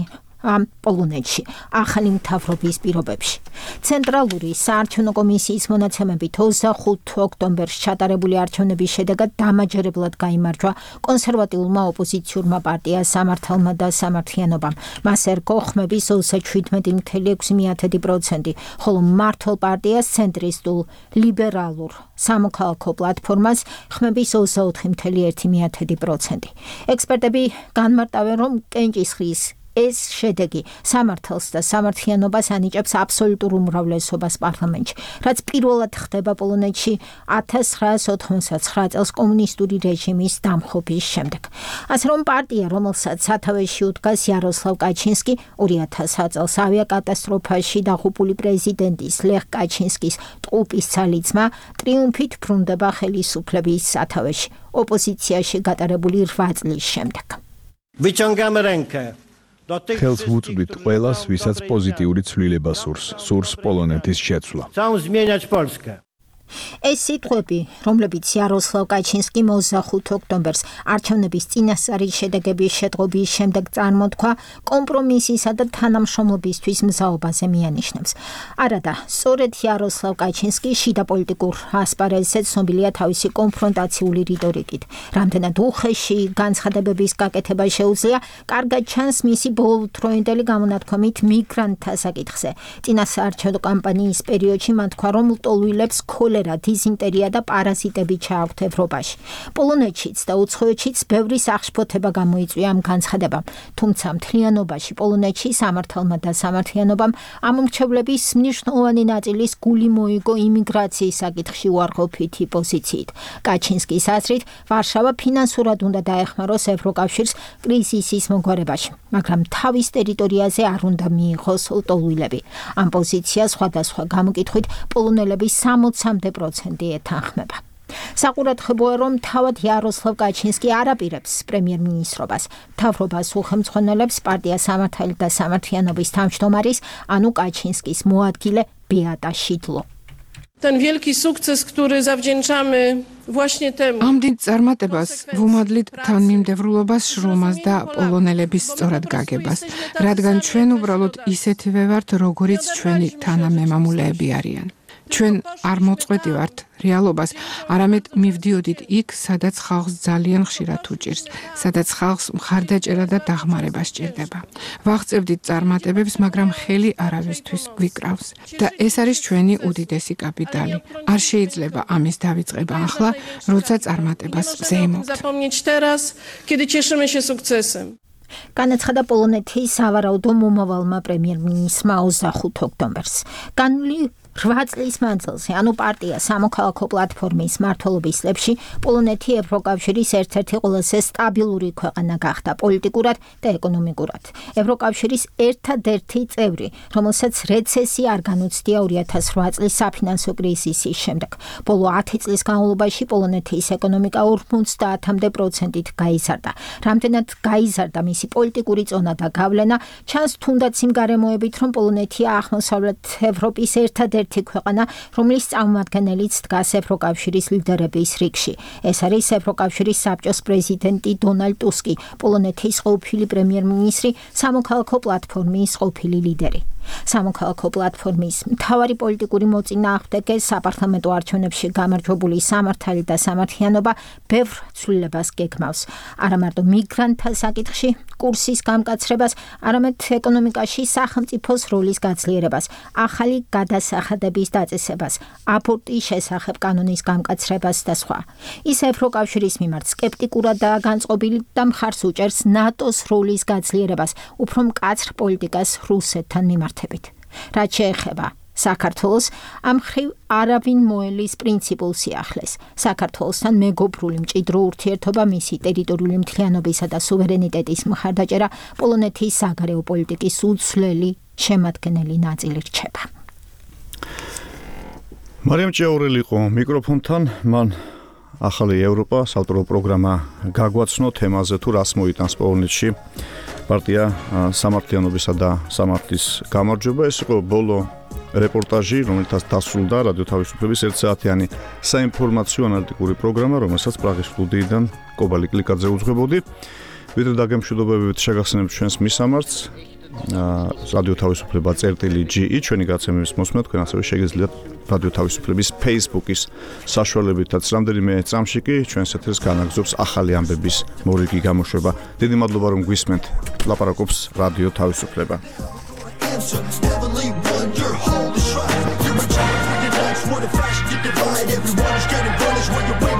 პოლონეთში, ახალი მთავრობის პირობებში. ცენტრალური საარჩევნო კომისიის მონაცემებით 25 ოქტომბერს ჩატარებული არჩევნების შედეგად დამაჯერებლად გაიმარჯვა კონსერვატიულმა ოპოზიციურმა პარტია სამართალმა და სამართლიანობამ. მას ერგო ხმების 27.6%, ხოლო მმართველ პარტიას ცენტრისტულ ლიბერალურ სამოქალაქო პლატფორმას ხმების 24.1%. ექსპერტები განმარტავენ, რომ კენჭისყრის ეს შედეგი სამართალს და სამართლიანობას ანიჭებს აბსოლუტურ უმრავლესობას პარლამენტში, რაც პირველად ხდება პოლონეთში 1989 წელს კომუნისტური რეჟიმის დამხობის შემდეგ. ასე რომ პარტია, რომელსაც სათავეში უდგას იაროსლავ კაჩინსკი, 2000 წელს ავიაკატასტროფაში დაღუპული პრეზიდენტის ლეხ კაჩინსკის ტყუპის ცალიწმა, ტრიუმფით ბრუნდება ხელისუფლების სათავეში, ოპოზიციაში გატარებული 8 წლის შემდეგ. Wyciągamy rękę. ხელს ვუწვდით ყველას, ვისაც პოზიტიური ცვლილება სურს პოლონეთის შეცვლა. Chcą zmieniać Polskę. ეს სიტყვები, რომლებიც იაროსლავ კაჩინსკი 25 ოქტომბერს არჩევნების წინასწარი შედეგების შეტყობის შემდეგ წარმოთქვა, კომპრომისისა და თანამშრომლობისთვის მზაობაზე მიანიშნებს. არადა, სწორედ იაროსლავ კაჩინსკი შიდა პოლიტიკურ ასპარეზზე ცნობილია თავისი კონფრონტაციული რიტორიკით. რამდენად უხეში განცხადებების გაკეთება შეუძლია, კარგად ჩანს მისი ბოლოდროინდელი გამონათქვამით მიგრანტთა საკითხზე. წინა საარჩევნო კამპანიის პერიოდში მან თქვა, რომ ლტოლვილებს დიზინტერია და პარაზიტები ჩააქვთ ევროპაში. პოლონეთშიც და უცხოეთშიც ბევრი სახშფოთება გამოიწვია ამ განცხადებამ, თუმცა მთლიანობაში პოლონეთში სამართალმა და სამართლიანობამ ამ მრჩევლების მნიშვნელოვანი ნაწილის გული მოიგო იმიგრაციის საკითხში უარყოფითი პოზიციით. კაჩინსკის აზრით, ვარშავა ფინანსურად უნდა დაეხმაროს ევროკავშირს კრიზისის მოგვარებაში, მაგრამ თავის ტერიტორიაზე არ უნდა მიიღოს ლტოლვილები. ამ პოზიციას სხვადასხვა გამოკითხვით პოლონელების 60% ეთანხმება. საყურადღებოა, რომ თავად იაროსლავ კაჩინსკი არ აპირებს პრემიერ-მინისტრობას. მთავრობას უხელმძღვანელებს პარტია სამართალი და სამართლიანობის თავმჯდომარის, ანუ კაჩინსკის მოადგილე ბეატა შიდლო. Ten wielki sukces, który zawdzięczamy właśnie temu. ამ დიდ წარმატებას ვუმადლით თანმიმდევრულობას, შრომას და პოლონელების სწორად გაგებას, რადგან ჩვენ უბრალოდ ისეთივე ვართ, როგორიც ჩვენი თანამემამულეები არიან. ჩვენ არ მოწყვეტი ვართ რეალობას, არამედ მივდიოდით იქ, სადაც ხალხს ძალიან ხშირად უჭირს, სადაც ხალხს მხარდაჭერა და დახმარება სჭირდება. ვაღწევდით წარმატებებს, მაგრამ ხელი არავისთვის გვიკრავს და ეს არის ჩვენი უდიდესი კაპიტალი. არ შეიძლება ამის დავიწყება ახლა, როცა წარმატებას ზეიმობთ. განაცხადა პოლონეთის სავარაუდო მომავალმა პრემიერ-მინისტრმა 25 ოქტომბერს. განვლი 8 წლის მანძილზე, ანუ პარტია სამოქალაქო პლატფორმის მმართველობის წლებში, პოლონეთი ევროკავშირის ერთ-ერთი ყველაზე სტაბილური ქვეყანა გახდა პოლიტიკურად და ეკონომიკურად. ევროკავშირის ერთადერთი წევრი, რომელსაც რეცესია არ განუცდია 2008 წლის საფინანსო კრიზისის შემდეგ. ბოლო 10 წლის განმავლობაში პოლონეთის ეკონომიკა 50%-ით გაიზარდა. რამდენად გაიზარდა მისი პოლიტიკური წონა და გავლენა, ჩანს თუნდაც იმ გარემოებით, რომ პოლონეთია აღმოსავლეთ ევროპის ერთადერთი ქვეყანა, რომლის წარმომადგენელიც დგას ევროკავშირის ლიდერების რიგში. ეს არის ევროკავშირის საბჭოს პრეზიდენტი დონალდ ტუსკი, პოლონეთის ყოფილი პრემიერ-მინისტრი, სამოქალაქო პლატფორმის ყოფილი ლიდერი. სამოქალაქო პლატფორმის მთავარი პოლიტიკური მოწინააღმდეგე საპარლამენტო არჩევნებში გამარჯვებული სამართალი და სამართლიანობა ბევრ ცვლილებას გეგმავს. არა მარტო მიგრანტთა საკითხში კურსის გამკაცრებას, არამედ ეკონომიკაში სახელმწიფოს როლის გაძლიერებას, ახალი გადასახადების დაწესებას, აბორტის შესახებ კანონის გამკაცრებას და სხვა. ის ევროკავშირის მიმართ სკეპტიკურად და განწყობილი და მხარს უჭერს ნატოს როლის გაძლიერებას, უფრო მკაცრ პოლიტიკას რუსეთთან მიმართ. რაც შეეხება საქართველოს, ამ მხრივ არავინ მოელის პრინციპულ სიახლეს. საქართველოსთან მეგობრული მჭიდრო ურთიერთობა, მისი ტერიტორიული მთლიანობისა და სუვერენიტეტის მხარდაჭერა პოლონეთის საგარეო პოლიტიკის უცვლელი შემადგენელი ნაწილი რჩება. მარიამ ჭეაურელი იყო მიკროფონთან, მან ახალი ევროპა საავტორო პროგრამა გაგვაცნო თემაზე თუ რას მოიტანს პოლონეთში პარტია სამართლიანობისა და სამართლის გამარჯვება. ეს იყო ბოლო რეპორტაჟი, რომელთაც დასრულდა რადიო თავისუფლების 1 საათიანი საინფორმაციო ანალიტიკური პროგრამა, რომელსაც პრაღის სტუდიიდან კობალი კლიკაძე უძღვებოდი. ვიდრე დაგემშვიდობებით შეგახსენებთ ჩვენს მისამართს რადიო თავისუფლება.ge ჩვენი გაცემების მოსმენა თქვენ ასევე შეგიძლიათ რადიო თავისუფლების Facebook-ის საშუალებითაც რამდენიმე წამში კი ჩვენს ეთერს განაგზობს ახალი ამბების მორიგი გამოშვება. დიდი მადლობა რომ გვისმენთ. ლაპარაკობს რადიო თავისუფლება. What a fashion you divide, everyone is getting bullish when you're